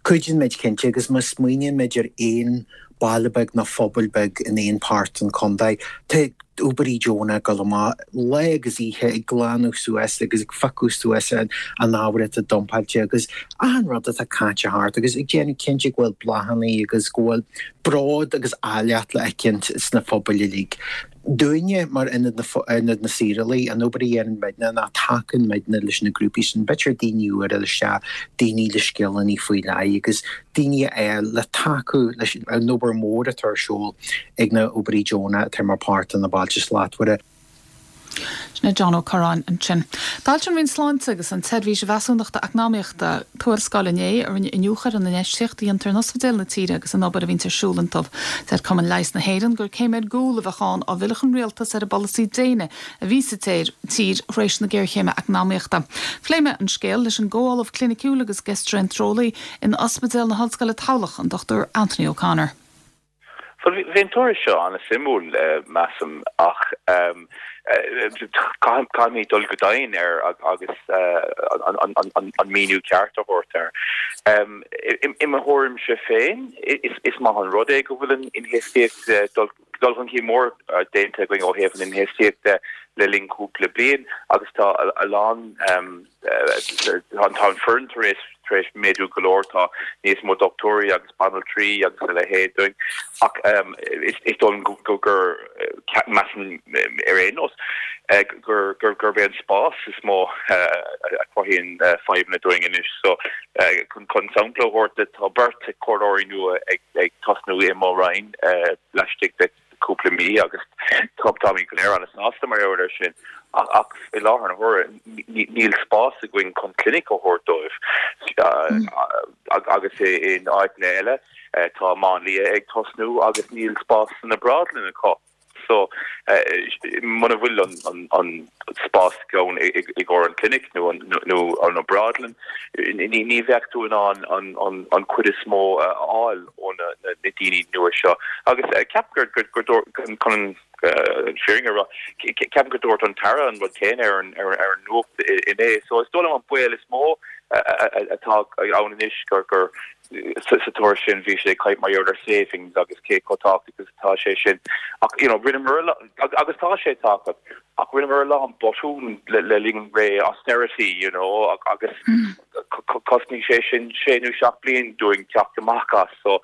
Cuidíonn muid cinnte agus má smaoiníonn muid ar aon baile beag nó phobal beag in aon páirt den chontae, tá oibrithe deonacha ag dul amach lá agus oíche ag glanadh suas agus ag phiocadh suas an ábhar atá dumpáilte agus achan rud atá caite thart agus ag déanamh cinnte go bhfuil bláthanna agus go bhfuil bród agus áilleacht le fheicint sna phobail uilig. Dúinne, mar Ionad Ionad na Saorálaí, an obair a dhéanann muidne ná tacaíonn muidne leis na grúpaí sin, b'fhéidir daoine úr a fháil isteach, daoine le scileanna faoi leith agus daoine a fháil le tacú leis an obair mhór atá ar siúl ag na oibrithe deonacha atá mar páirt de na Bailte Slachtmhara. Sin é John Ó Curráin ansin. D'fhoilsigh an Roinn Sláinte agus an tSeirbhís Mheasúnachta Eacnamaíochta tuarascáil inné a rinne iniúchadh ar an infheistíocht a dhéantar in ospidéil na tíre agus an obair a bhíonns ar siúl iontu. Deir Cumann Leighis na hÉireann gur céim ar gcúl a bheadh ann dá bhfillfeadh an rialtas ar an bpolasaí déine a bhí sa tír tar éis na géarchéime eacnamaíochta. Phléigh mé an scéal leis an gComh-Ollamh Cliniciúil agus Geistreinteareolaí in Ospidéal na hOllscoile Tamhlacht, an Dr Anthony O'Connor. Bhuel, bhí an tuairisc seo an-suimiúil, measaim, ach caithfimid dul go domhain air agus an míniú ceart a thabhairt air. I mo thuairimse féin, is maith an rud é go bhfuil an infheistíocht, dul chun cinn mór déanta againn ó thaobh an infheistíocht de le linn cúpla bliain agus tá a lán, Tá an foireann tar éis tar éis méadú go leor, tá níos mó dochtúirí agus banaltraí agus a leithéid againn ach is dóigh liom go gur measaim ar aon nós gur gurb é an spás is mó a chruthaíonn fadhbanna dúinn anois. So chun sampla a thabhairt tá beirt comhairleoirí nua ag tosnú i mo roinn laistigh de cúpla mí agus táimid go léir an-sásta mar gheall air sin ach i láthair na huaire níl spás againn chun clinic a thabhairt dóibh agus in áiteanna eile tá máinlia ag tosnú agus níl spás san obrádlann acu. So muna bhfuil an spás ann i gcomhair an clinic nó an obrádlann ní bheadh tú in ann an chuid is mó a fháil ó na daoine nua seo. Agus ceapaim gur dúirt, chun an fírinne a rá, ceapaim gur dúirt an tAire an rud céanna ar an nuacht inné. So is dóigh liom an baol is mó atá ann anois gur. Sa tuairisc sin bhí sé ag caint mar gheall ar savings agus cé chomh tábhachtach is atá sé sin ach you know rinneamar agus tá sé tábhachtach ach rinneamar a lán botún le le linn ré austerity you know agus chosnaigh sé sin sé nó seacht bliain dúinn teacht amach as so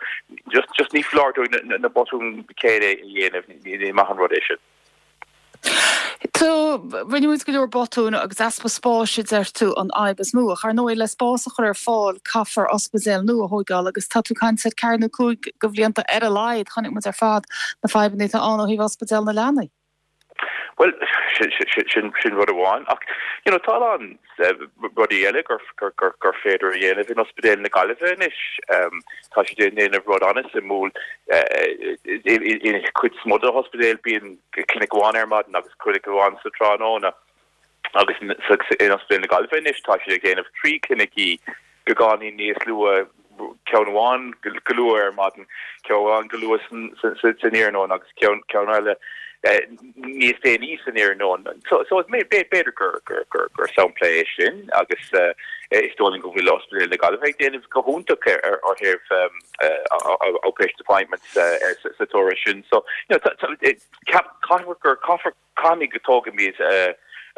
just just ní foláir dúinn na na botúin céanna a dhéanamh ní maith an rud é sin. Tá, rinne muid go leor botún agus easpa spáis a deir tú an fhadhb is mó. Ach ar ndóigh le spás a chur ar fáil caithfear ospidéal nua a thóigeáil agus tá tú ag caint ar ceathair nó 5 de bhlianta ar a laghad. Chonaic muid ar fad na fadhbanna atá ann ó thaobh ospidéal na leanaí. Bhuel, sin rud amháin ach you know tá a lán rudaí eile gur gur féidir a dhéanamh in Ospidéal na Gaillimhe anois. Tá siad ag déanamh rud an-suimiúil. In cuid is mó de na hospidéil bíonn clinic amháin ar maidin agus clinic amháin sa tráthnóna agus in Ospidéal na Gaillimhe anois tá siad ag déanamh 3 clinicí beagáinín níos luath, ceann amháin go luath ar maidin, ceann amháin go luath san iarnóin agus ceann eile níos déanaí san iarnóin. So b'fhéidir gur sampla é sin agus is dóigh liom go bhfuil Ospidéal na Gaillimhe ag déanamh go hiontach ar thaobh outpatient appointments sa toradh sin. So caithfear gur caithfear Caithfimid go dtógfaimid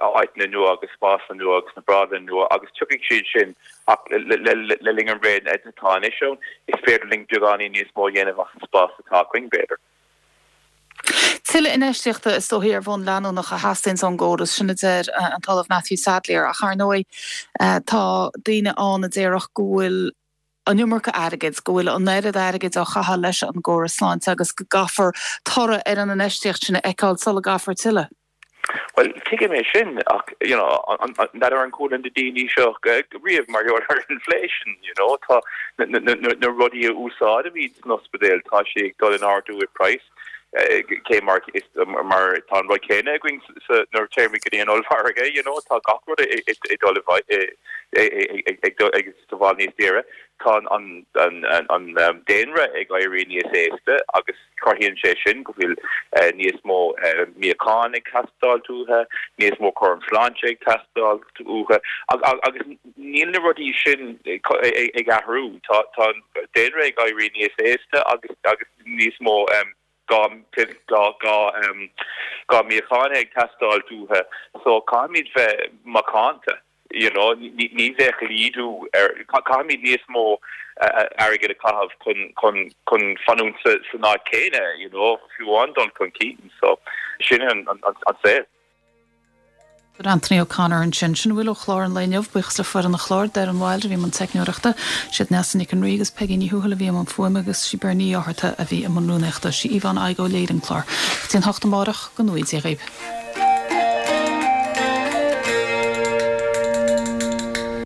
áiteanna nua agus spásanna nua agus na brádanna nua agus tiocfaidh siad sin ach le linn an ré atá anois ann, is féidir linn beagáinín níos mó a dhéanamh as an spás atá againn, b'fhéidir. Tuilleadh infheistíochta is dóichí ar bhonn leanúnach a theastaíonns ón gcóras, sin a deir an tOllamh Matthew Sadlier, ach ar ndóigh tá daoine ann a déarfadh go bhfuil an iomarca airgid, go bhfuil an oiread airgid á chaitheamh leis an gcóras sláinte agus go gcaithfear toradh ar an infheistíocht sin a fheiceáil sula gcaithfear tuilleadh. Bhuel, tuigim é sin ach, you know, n'fheadar an chuala na daoine seo riamh mar gheall ar inflation, you know, tá na rudaí a úsáidimid san ospidéal, tá sé ag dul in ardú i price, cé mar is mar tá an rud céanna againn nuair a téimid go dtí an ollmhargadh, you know, tá gach rud ag dul ag dul ag sa bhfad níos daoire. Tá an daonra ag éirí níos aosta agus cruthaíonn sé sin go bhfuil níos mó míochán ag teastáil uathu, níos mó cúram sláinte ag teastáil uathu agus níl na rudaí sin ag athrú. Tá an daonra ag éirí níos aosta agus níos mó gá gá míochán ag teastáil uathu so caithfimid bheith macánta. You know, ní bheadh laghdú ar, caithfimid níos mó airgid a chaitheamh chun, chun, chun fanúint sa, san áit céanna, you know, fiú amháin dul chun cinn. So, sin an, an, an saol. Anthony O'Connor ansin. Sin a bhfuil ó chlár an lae inniu. Buíochas le foireann an chláir, Doireann Wilde a bhí i mbun teicneoireachta, siad Neasa Nic an Rí agus Peigí Ní Thuathail a bhí i mbun fuaime agus sí Bernie Ní Fhátharta a bhí i mbun rúnaíochta. Sí Yvonne Igoe a léirigh an clár. Go dtí an hocht amárach, go ngnóthaí Dia dhaoibh.